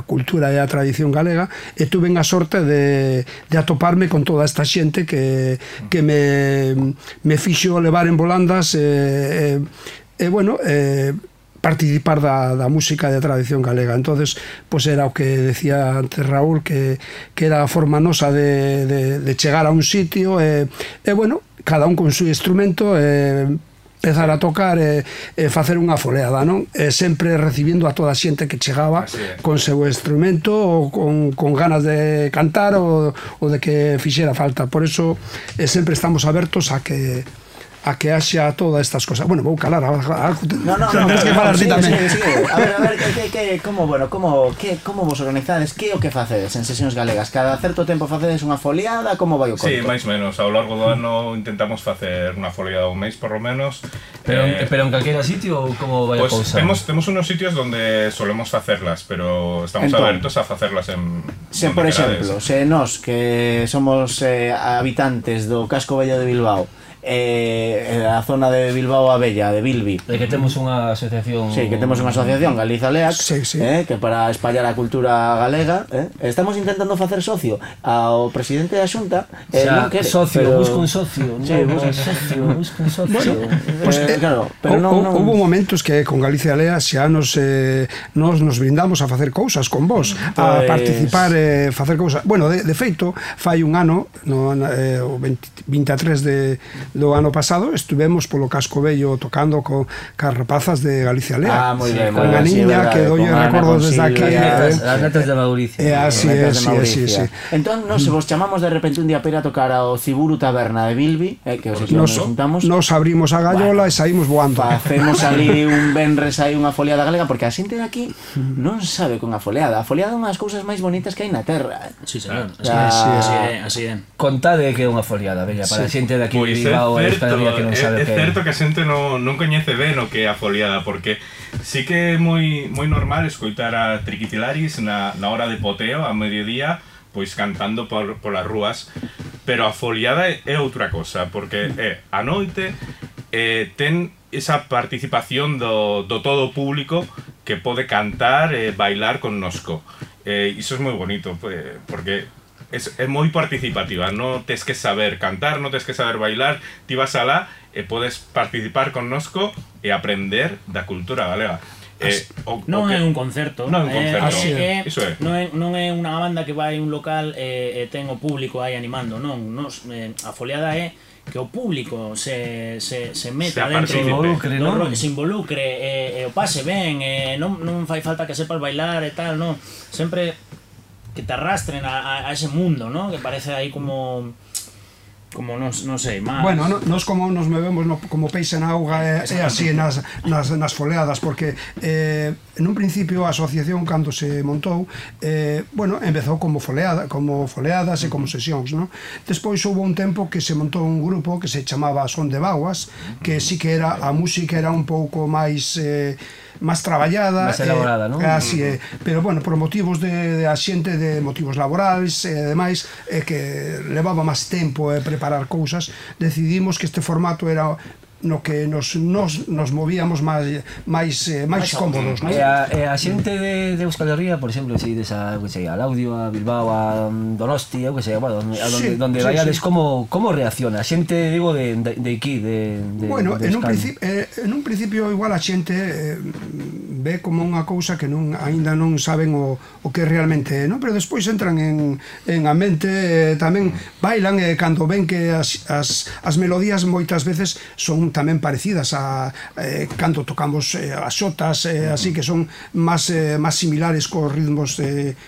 cultura e a tradición galega e tuve a sorte de atoparme con toda esta xente que me fixo levar en volandas bueno, participar da música de tradición galega. Entonces, pois era o que decía antes Raúl, que era a forma nosa de chegar a un sitio e bueno, cada un con su instrumento empezar a tocar e facer unha foleada, non? Sempre recibindo a toda a xente que chegaba con seu instrumento ou con ganas de cantar ou de que fixera falta. Por eso sempre estamos abertos a que haxa todas estas cosas. Bueno, vou calar algo. No, tens que falar ti tamén. A ver, como vos organizades? Que o que facedes en sesións galegas? Cada certo tempo facedes unha foliada? Como vai o conto? Sí, máis menos. Ao largo do ano intentamos facer unha foliada un mes, por lo menos. Pero en calquera sitio ou como vai a cousa? Temos unos sitios donde solemos facerlas, pero estamos abertos a facerlas en... Por exemplo, se nós que somos habitantes do casco vello de Bilbao, a zona de Bilbao a Bella, de Bilbi, que temos unha asociación, Galiza Leac, que para espallar a cultura galega, estamos intentando facer socio ao presidente da Xunta, non quere busca un socio. Houve momentos que con Galicia Lea xa nos brindamos a facer cousas con vos, a participar e facer cousas. Bueno, de feito, fai un ano, o 23 do ano pasado, estuvemos polo casco vello tocando cas rapazas de Galicia Lea. Con a niña que dolle recordo desde aquí. As netas de Mauricio. Así é. Entón, nos vos chamamos de repente un día para ir a tocar ao Ciburu Taberna de Bilbi, que nos juntamos. Nos abrimos a gallola e saímos voando. Facemos ali un venres aí unha foliada galega, porque a xente de aquí non sabe con a foliada. A foliada é unhas cousas máis bonitas que hai na terra. Sí, señor. Así é. Contade que é unha foliada, bella, para a xente de aquí de Bilbao. É certo que a xente non coñece ben o que é a foliada, porque sí que é moi normal escoitar a Triquitilaris na hora de poteo, a mediodía, pois cantando polas rúas, pero a foliada é outra cosa, porque a noite ten esa participación do todo o público que pode cantar e bailar connosco. Iso é moi bonito, porque é moi participativa, non tes que saber cantar, non tes que saber bailar, ti vas alá e podes participar connosco e aprender da cultura galega. Non é un concerto, non é unha banda que vai a un local e ten o público aí animando, non, a foliada é que o público se meta dentro, se involucre e o pase ben, non fai falta que sepas bailar e tal, non, sempre que te arrastren a ese mundo, ¿no? Que parece aí como non sei, máis... Bueno, nos como nos movemos como peixe na auga é así nas foleadas, porque en un principio a asociación, cando se montou, bueno, empezou como foleadas e como sesións, ¿no? Despois houve un tempo que se montou un grupo que se chamaba Son de Baguas, que sí que era, a música era un pouco máis traballada, máis elaborada, non? Así é, pero bueno, por motivos de a xente, de motivos laborais e demais, que levaba máis tempo preparar cousas, decidimos que este formato era no que nos movíamos máis cómodos, non? E a xente de Euskal Herria, por exemplo, se ides a Laudio, a Bilbao, a Donosti, donde vayades, como reacciona? A xente, digo, de aquí, de bueno, en un principio igual a xente ve como unha cousa que aínda non saben o que realmente é, non? Pero despois entran en a mente, tamén bailan, e cando ven que as melodías moitas veces son tamén parecidas a cando tocamos as xotas, así que son máis similares cos ritmos de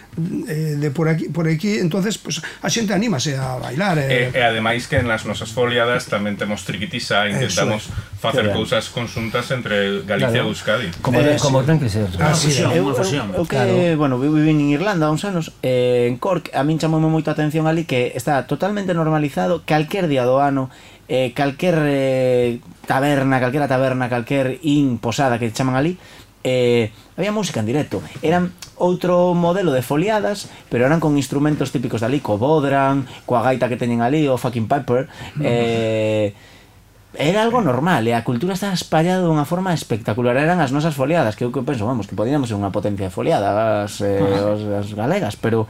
por aquí, entonces pues, a xente anímase a bailar. E ademais que en las nosas foliadas tamén temos triquitisa, intentamos facer cousas conxuntas entre Galicia e Euskadi. Como ten que ser. Eu que, bueno, viví en Irlanda uns anos, en Cork, a min chamoume moita atención ali que está totalmente normalizado calquer día do ano, calquer taberna, calquer posada que chaman ali, había música en directo. Eran outro modelo de foliadas, pero eran con instrumentos típicos de ali, co bodran, coa gaita que teñen ali, o fucking piper, era algo normal, e a cultura está espallada dunha forma espectacular. Eran as nosas foliadas, que eu penso, vamos, que podíamos ser unha potencia de foliada as galegas, pero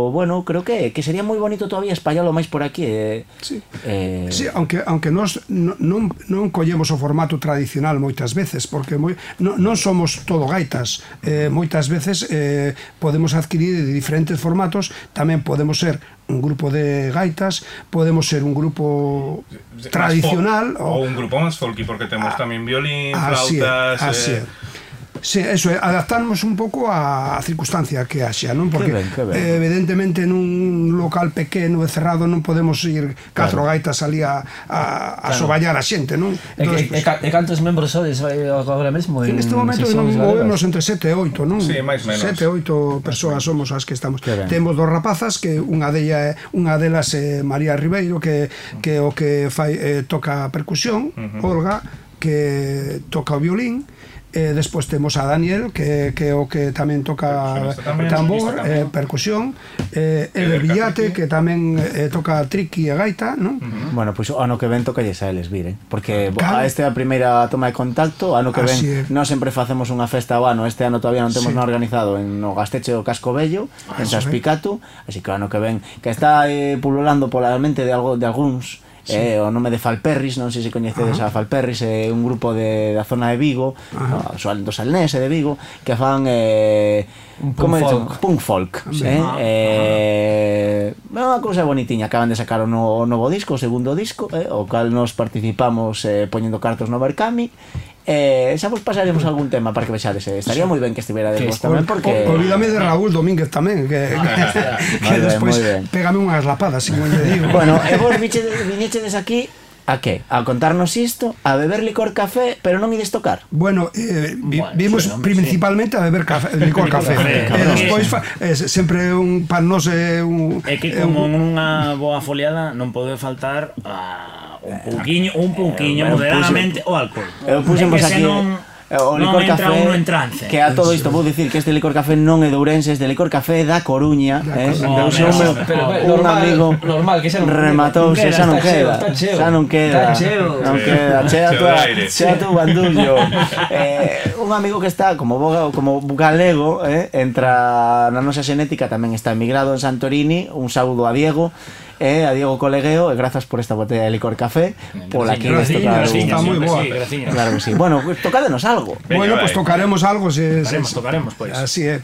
bueno, creo que sería moi bonito todavía espallalo máis por aquí. Sí, aunque nós non collemos o formato tradicional moitas veces, porque non somos todo gaitas. Moitas veces podemos adquirir diferentes formatos, tamén podemos ser un grupo de gaitas, podemos ser un grupo tradicional ou un grupo máis folky, porque temos tamén violín, flautas. Así é. Sí, eso é, adaptarnos un pouco á circunstancia que haxa, non? Porque evidentemente nun local pequeno e cerrado non podemos ir 4 gaitas ali a soballar a xente, non? E cantos membros sodes agora mesmo? En este momento movemos entre 7 e 8, non? Sí, máis menos. 7 e 8 persoas somos as que estamos. Temos 2 rapazas, que unha delas é María Ribeiro, que o que fai toca percusión, Olga, que toca o violín. Despois temos a Daniel, que é o que tamén toca tambor, percusión, Eber Villate, que tamén toca triqui e gaita, non? Bueno, pois o ano que ven toca a eles vir, porque esta é a primeira toma de contacto. Ano que ven nós sempre facemos unha festa ao ano. Este ano todavía non temos nada organizado no Gasteche do Casco Bello, en Saspicato, así que o ano que ven, que está pululando pola mente de algúns, o nome de Falperris, non sei se coñecedes a Falperris, é un grupo da zona de Vigo, do Salnés e de Vigo, que fan punk folk, unha cousa bonitiña. Acaban de sacar o novo disco, o segundo disco, o cal nos participamos poñendo cartos no Berkami. Xa vos pasaremos algún tema para que vexades. Estaría moi ben que estivera de vos tamén, porque olvídame de Raúl Domínguez tamén, que despois pégame unhas lapadas, como lle digo. Bueno, e vos viñechedes aquí a que? A contarnos isto, a beber licor café, pero non ides tocar. Bueno, vimos principalmente a beber licor café. Despois sempre para nós é un... É que como nunha boa foliada non pode faltar un pouquiño moderadamente o alcohol. Eu puxemos aquí o licor café, que a todo isto vou dicir que este licor café non é de Ourense, este licor café é da Coruña, un amigo rematou-se, xa non queda, chea tu bandullo. Un amigo que está como galego, entra na nosa xenética, tamén está emigrado en Santorini. Un saúdo a Diego, a Diego Colegueo, e grazas por esta botella de licor café, pola que ides tocar. Está moi boa. Claro que sí. Bueno, tocádenos algo. Bueno, pues tocaremos algo. Tocaremos, pues. Así é.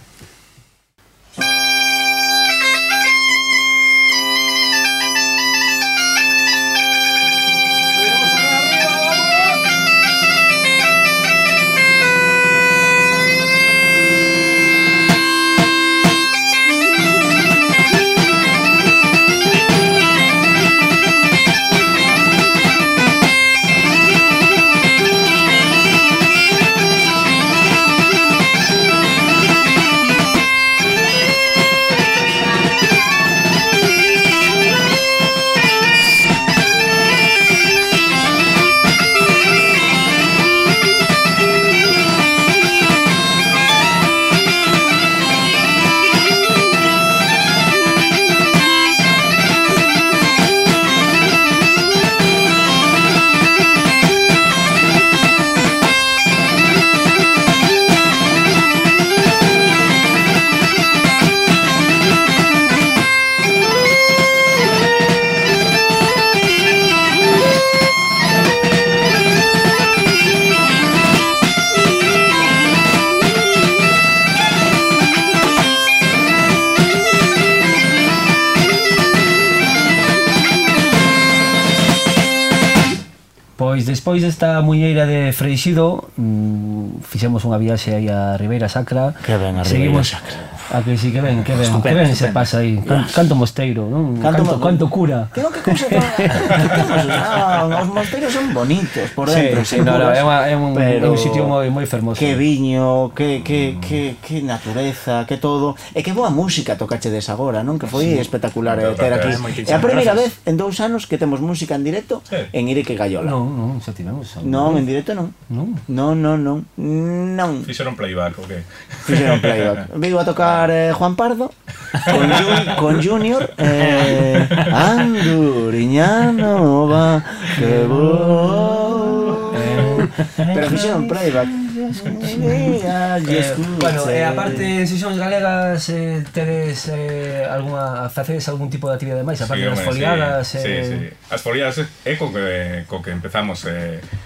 Despois desta muñeira de Freixido, fixemos unha viaxe aí a Ribeira Sacra. Que ben a Ribeira Sacra. A que sí, que ben se pasa aí. Canto mosteiro, non? Canto cura. Que cousa os mosteiros son bonitos por dentro. Sí, é un sitio moi fermoso. Que viño, que natureza, que todo. E que boa música tocachedes agora, non? Que foi espectacular ter aquí. É a primeira vez en 2 anos que temos música en directo en Ireque Gaiola. Non, xa tivemos. Non, en directo non. Non. Fixeron playback, o que? Fixeron playback. Vigo a tocar Juan Pardo, con Junior, Anduriña Nova, que vou. Pero fixeron playback. Bueno, aparte en sesións galegas tedes facedes algún tipo de actividade máis aparte das foliadas? Sí. As foliadas é co que empezamos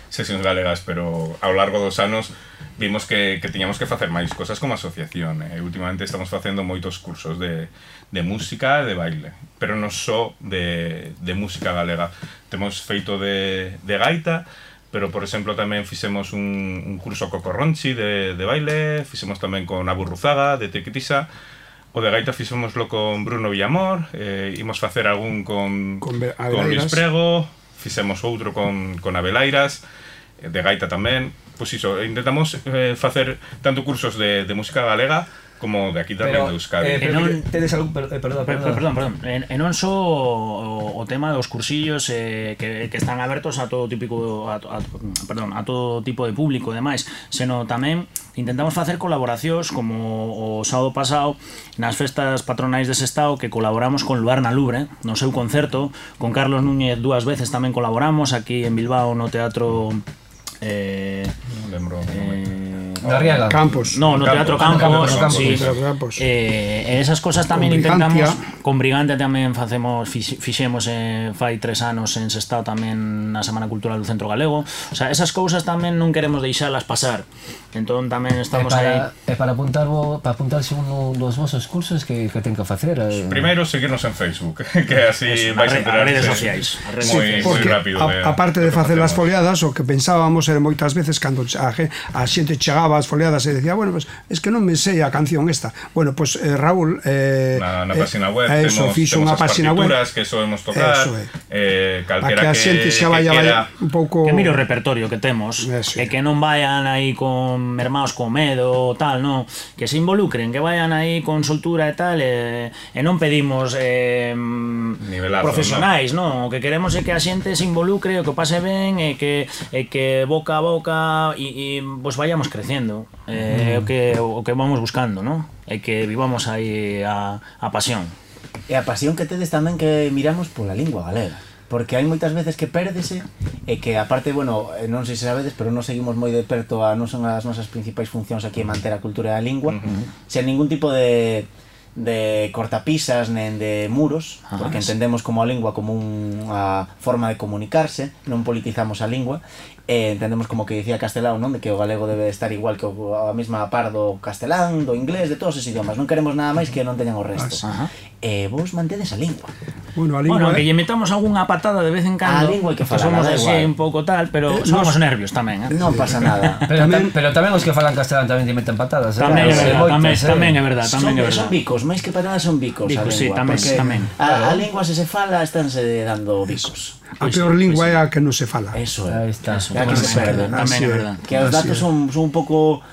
sesións galegas, pero ao largo dos anos vimos que tiñamos que facer máis cosas como asociación. Últimamente estamos facendo moitos cursos de música e de baile, pero non só de música galega. Temos feito de gaita, pero, por exemplo, tamén fixemos un curso co Corronchi de baile, fixemos tamén con Aburruzaga, de Tequitisa, o de gaita fixémoslo con Bruno Villamor, imos facer algún con Luis Prego, fixemos outro con Abelairas, de gaita tamén. Pois iso, intentamos facer tanto cursos de música galega como de aquí tamén de Euskadi. Tedes algún... Perdón. E non só o tema dos cursillos que están abertos a todo tipo de público e demais, senón tamén intentamos facer colaboracións como o sábado pasado nas festas patronais de Sestao, que colaboramos con Luar na Lubre no seu concerto, con Carlos Núñez 2 veces tamén colaboramos aquí en Bilbao no teatro non lembro Darriaga Campos. No Teatro Campos. Esas cosas tamén intentamos con Brigante tamén fixemos fai 3 anos en Sestao tamén na Semana Cultural do Centro Galego. O sea, esas cousas tamén non queremos deixalas pasar. Entón tamén estamos aí. E para apuntarse un dos vosos cursos que ten que facer. Primeiro seguirnos en Facebook, que así vais a enterar redes sociais. Moi rápido. Aparte de facer as foliadas, o que pensábamos era moitas veces cando a xente chegaba ás foliadas e decía, bueno, pues es que non me sei a canción esta. Bueno, pues Raúl na página web temos as partituras que soemos tocar, calquera que quera un pouco que mire o repertorio que temos e que non vayan aí con mermaos con medo tal, non, que se involucren, que vayan aí con soltura e tal, e non pedimos profesionais, non, o que queremos é que a xente se involucre, o que pase ben e que boca a boca e pues vayamos creciendo. O que vamos buscando, ¿no? É que vivamos aí a pasión. E a pasión que tedes tamén que miramos pola lingua galega, porque hai moitas veces que pérdese e que aparte, bueno, non sei se sabedes, pero non seguimos moi de perto non son as nosas principais funcións aquí en manter a cultura da lingua, sen ningún tipo de cortapisas nen de muros, porque entendemos como a lingua como unha forma de comunicarse, non politizamos a lingua, entendemos como que dicía Castelao, non, de que o galego debe estar igual que a mesma par do castelán, do inglés, de todos os idiomas, non queremos nada máis que non teñan o resto. Vos mantedes a lingua. Bueno, a lingua, que lle metamos algunha patada de vez en cando, a lingua que somos así un pouco tal, pero somos nervios tamén, non pasa nada. Pero tamén os que falan castelán tamén lle meten patadas, tamén é verdade. Son bicos, máis que patadas son bicos a lingua, tamén. A lingua se fala estánse dando bicos. A peor lingua é a que non se fala. Eso é. Aí está. É a que se perde, tamén é verdade. Que os datos son un pouco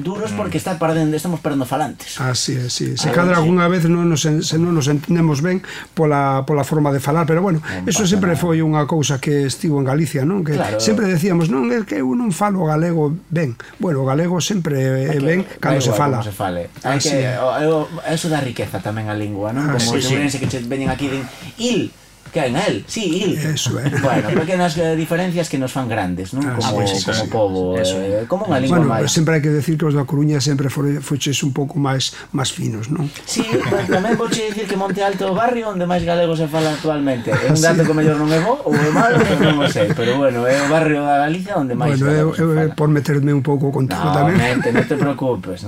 duros porque estamos perdendo falantes. Así é, sí. Se cadra algunha vez non nos entendemos ben pola forma de falar, pero bueno, eso sempre foi unha cousa que estivo en Galicia, non? Que sempre decíamos, non, é que eu non falo galego ben. Bueno, o galego sempre é ben cando se fala. Eso dá riqueza tamén a lingua, non? Como os ourense que veñen aquí din il, que hai na el, sí, il. Eso é. Bueno, pequenas diferencias que nos fan grandes, non? Como pobo, como unha lingua máis. Bueno, sempre hai que decir que os da Coruña sempre foches un pouco máis finos, non? Sí, tamén vouche dicir que Monte Alto é o barrio onde máis galego se fala actualmente. É un dato que mellor non é bo ou é malo, non o sei, pero bueno, é o barrio da Galicia onde máis galego se fala. Por meterme un pouco contigo tamén. Non te preocupes.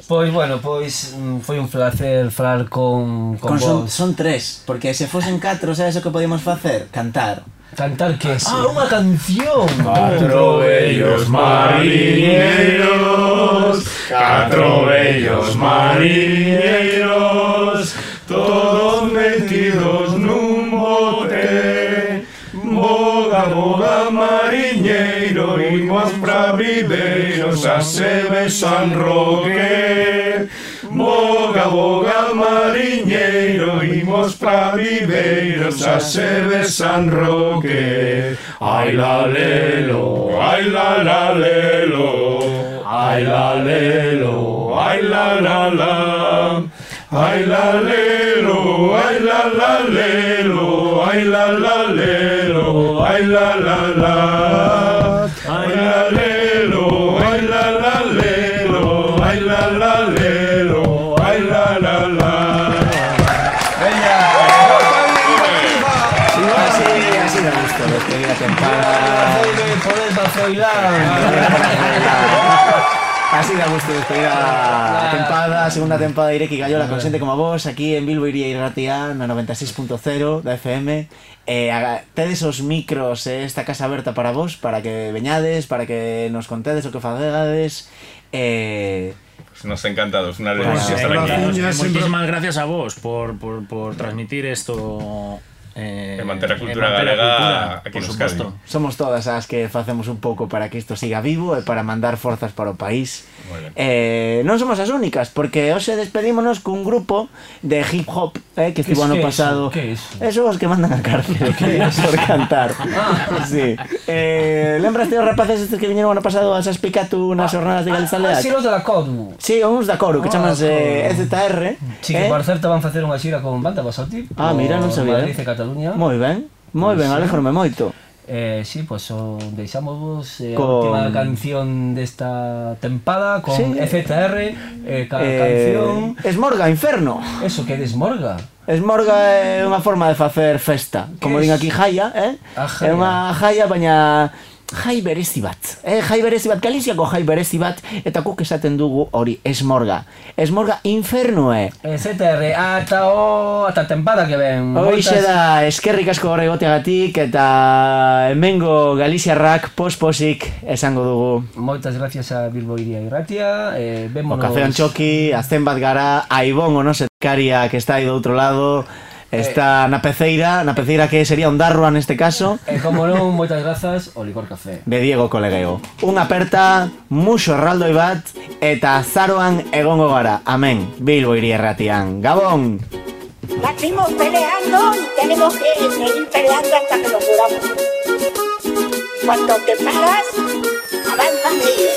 Pois bueno, foi un placer falar con vos. Son 3, porque se fosen 4, sabes o que podíamos facer? Cantar que é? Unha canción. 4 bellos mariñeiros, 4 bellos mariñeiros, todos metidos nun bote. Boga, boga mariñeiro, imos pra Viveiros a Sebe San Roque. Boga, boga mariñeiro, imos pra Viveiros a Sebe San Roque. Ai la lelo, ai la la lelo, ai la lelo, ai la la la. Ay la lelo, ay la lelo, ay la lelo, ay la la. Ay la lelo, ay la lelo, ay la lelo, ay la la. Así me gusta, despedir a tempada. Así da gusto despedir a tempada, segunda tempada de Ireki Gaiola con xente como vos aquí en Bilbo Iría Irratia na 96.0 da FM. Tedes os micros esta casa aberta para vos, para que veñades, para que nos contedes o que facegades. Nos encantados, una alegría estar aquí. Muchísimas gracias a vos por transmitir esto. Manter a cultura galega aquí nos cabe. Somos todas as que facemos un pouco para que isto siga vivo e para mandar forzas para o país. Non somos as únicas, porque hoxe despedímonos cun grupo de hip hop que estivo ano pasado. Eso os que mandan a cárcel por cantar. Sí. Lembraste os rapaces estes que viñeron ano pasado a Saspicatu nas jornadas de Galizaleac? Si, os da Coru. Sí, uns da Coru, que chamanse EZR. Si, que por certo van facer unha xira con banda Basati. Mira, non sabía. Moi ben, alégrome moito. Sí, pues deixamos a última canción desta tempada con EZR, canción Esmorga, Inferno. Eso, que é Esmorga? Esmorga é unha forma de facer festa. Como din aquí, jaia, é unha jaia, baina jai berezi bat. Jai berezi bat, Galiziako jai berezi bat, eta guk esaten dugu hori, Esmorga. Esmorga Inferno EZR, ata tempada que ven. Hoxe da, eskerrik asko horre goteagatik, eta hemengo Galiziarrak posposik esango dugu. Moitas gracias a Bilbo Iría Irratia. O Café Antxoki, azten bat gara, Aibón, o no setkaria, que está aí do outro lado. Está na peceira que sería un darroa neste caso. Como non, moitas grazas, o Licor Café. De Diego Colegueo. Unha aperta, muxo erraldoi bat, eta zaroan egongo gara. Amén. Bilbo Iría Irratian. Gabón! Nacimos peleando y tenemos que seguir peleando hasta que nos muramos. Cuando te paras, avanza sigue.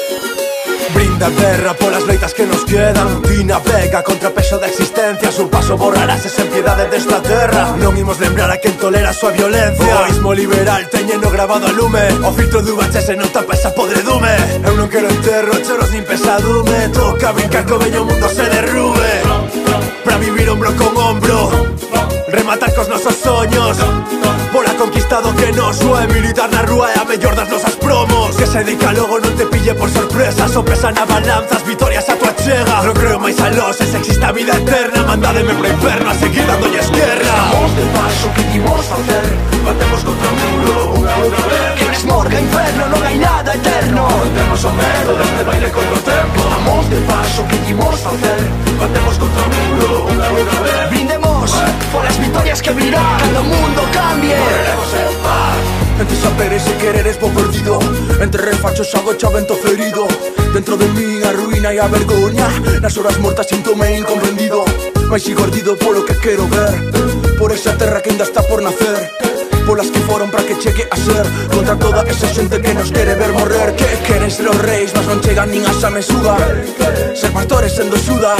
Brinda terra polas leitas que nos quedan. Fina pega contra peso da existencia. Su paso borrarás esa impiedade desta terra. Non imos lembrar a quen tolera a súa violencia. O ismo liberal teñeno grabado a lume. O filtro do VHS non tapa esa podredume. Eu non quero enterro, choros nin pesadume. Toca brincar co veño mundo se derrube. Pra vivir ombro con ombro, rematar cos nosos soños. Bola conquistado que nos soe. Militar na rúa é a mellor das nosas promos. Que se dedica logo non te pille por sorpresa. So pesan a balanzas, vitorias a tua chega. Non creo máis a los, es existe a vida eterna. Mandádeme pro inferno a seguir dándolles guerra. Estamos de paso, que imos facer? Batemos contra o muro unha outra vez. Que Esmorga, inferno, non hai nada eterno. Temos o medo deste baile contra o tempo. Estamos de paso, que imos facer? Batemos contra o muro unha outra vez. Brindemos por as vitorias que virán cando o mundo cambie. Morreremos en paz. Entre saberes e quereres vou perdido. Entre refachos agocha vento ferido. Dentro de mí a ruína e a vergoña. Nas horas mortas síntome incomprendido. Mais sigo ardido polo que quero ver. Por esa terra que ainda está por nacer. Polas que foron para que chegue a ser. Contra toda esa xente que nos quere ver morrer. Que queren ser os reis, mas non chegan nin a esa mesuga. Ser pastores sendo xudas.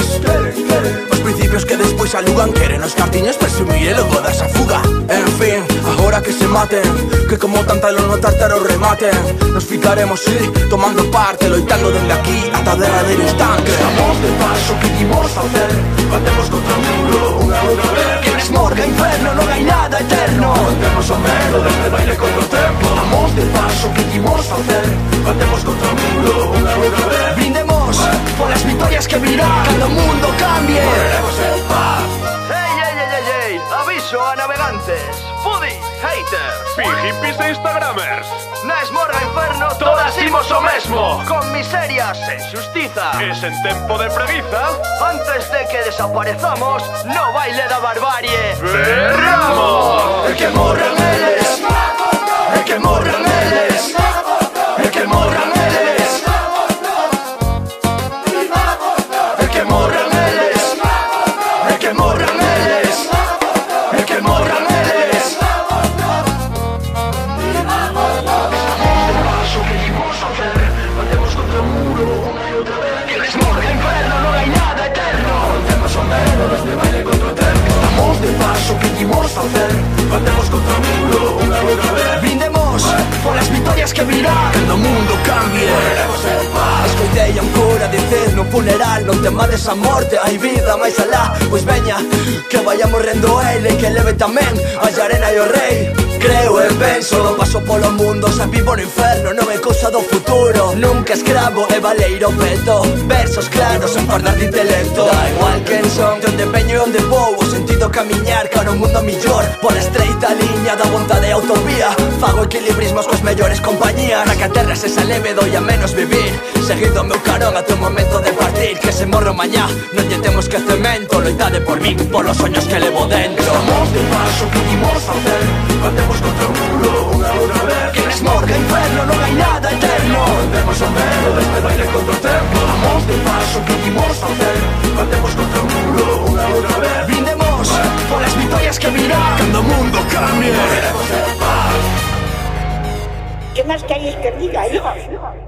Os principios que despois alugan. Queren os cartiños presumir e logo dar esa fuga. En fin, agora que se maten. Que como tanta lo no tártaro rematen. Nos ficaremos, sí, tomando parte. Loitando dende aquí ata derradeiro instante. Estamos de paso, que imos facer? Batemos contra o muro unha outra vez. Que Esmorga, inferno, non hai nada eterno. Temos o medo deste baile contra o tempo. Estamos de paso, que imos facer? Batemos contra o muro unha outra vez. Brindemos por as vitorias que virán cando o mundo cambie. Morreremos en paz. Ey, aviso a navegantes, foodies, haters, hippies e instagramers. Na Esmorga Inferno todas imos o mesmo. Con miserias sen xustiza. E sen tempo de preguiza. Antes de que desaparezamos no baile da barbarie. ¡Berramos! E que morran eles. E que morran eles. E que morran eles. E que morran eles. E que morran eles. E que morran eles. Paso que imos facer? Batemos contra o muro unha e outra vez. Que Esmorga, inferno, non hai nada eterno. Temos o medo desde facer, batemos contra o mundo unha outra vez. Brindemos polas victorias que virán cando o mundo cambie. Queremos ser paz. Escoitei a un cura dicer no funeral: non temades a morte, hai vida máis alá. Pois veña, que vaya morrendo ele, que leve tamén a arena e o rei. Creo e penso, paso polo mundo, xa vivo no inferno, non é cousa do futuro. Nunca escravo e valeiro peto, versos claros en fardar de intelecto. Da igual quen son, de onde veño e onde vou, o sentido camiñar cara un mundo millor. Por estreita liña da vontade e autovía, fago equilibrismos coas mellores compañías. Na que a terra se leve doi a menos vivir, seguido o meu carón ata o momento de partir. Que se morro mañá, non lle temos que cemento, loitade por mí, polos soños que levo dentro. Somos de paso que dimos facer, batemos contra o mundo unha outra vez. Que mesmo que inferno non hai nada eterno, vendemos o medo deste baile contra o tempo. Somos de paso que dimos facer, batemos contra o mundo unha outra vez. Brindemos polas victorias que virán cando o mundo cambie. Queremos ser paz. ¿Qué más queréis que diga, hijos?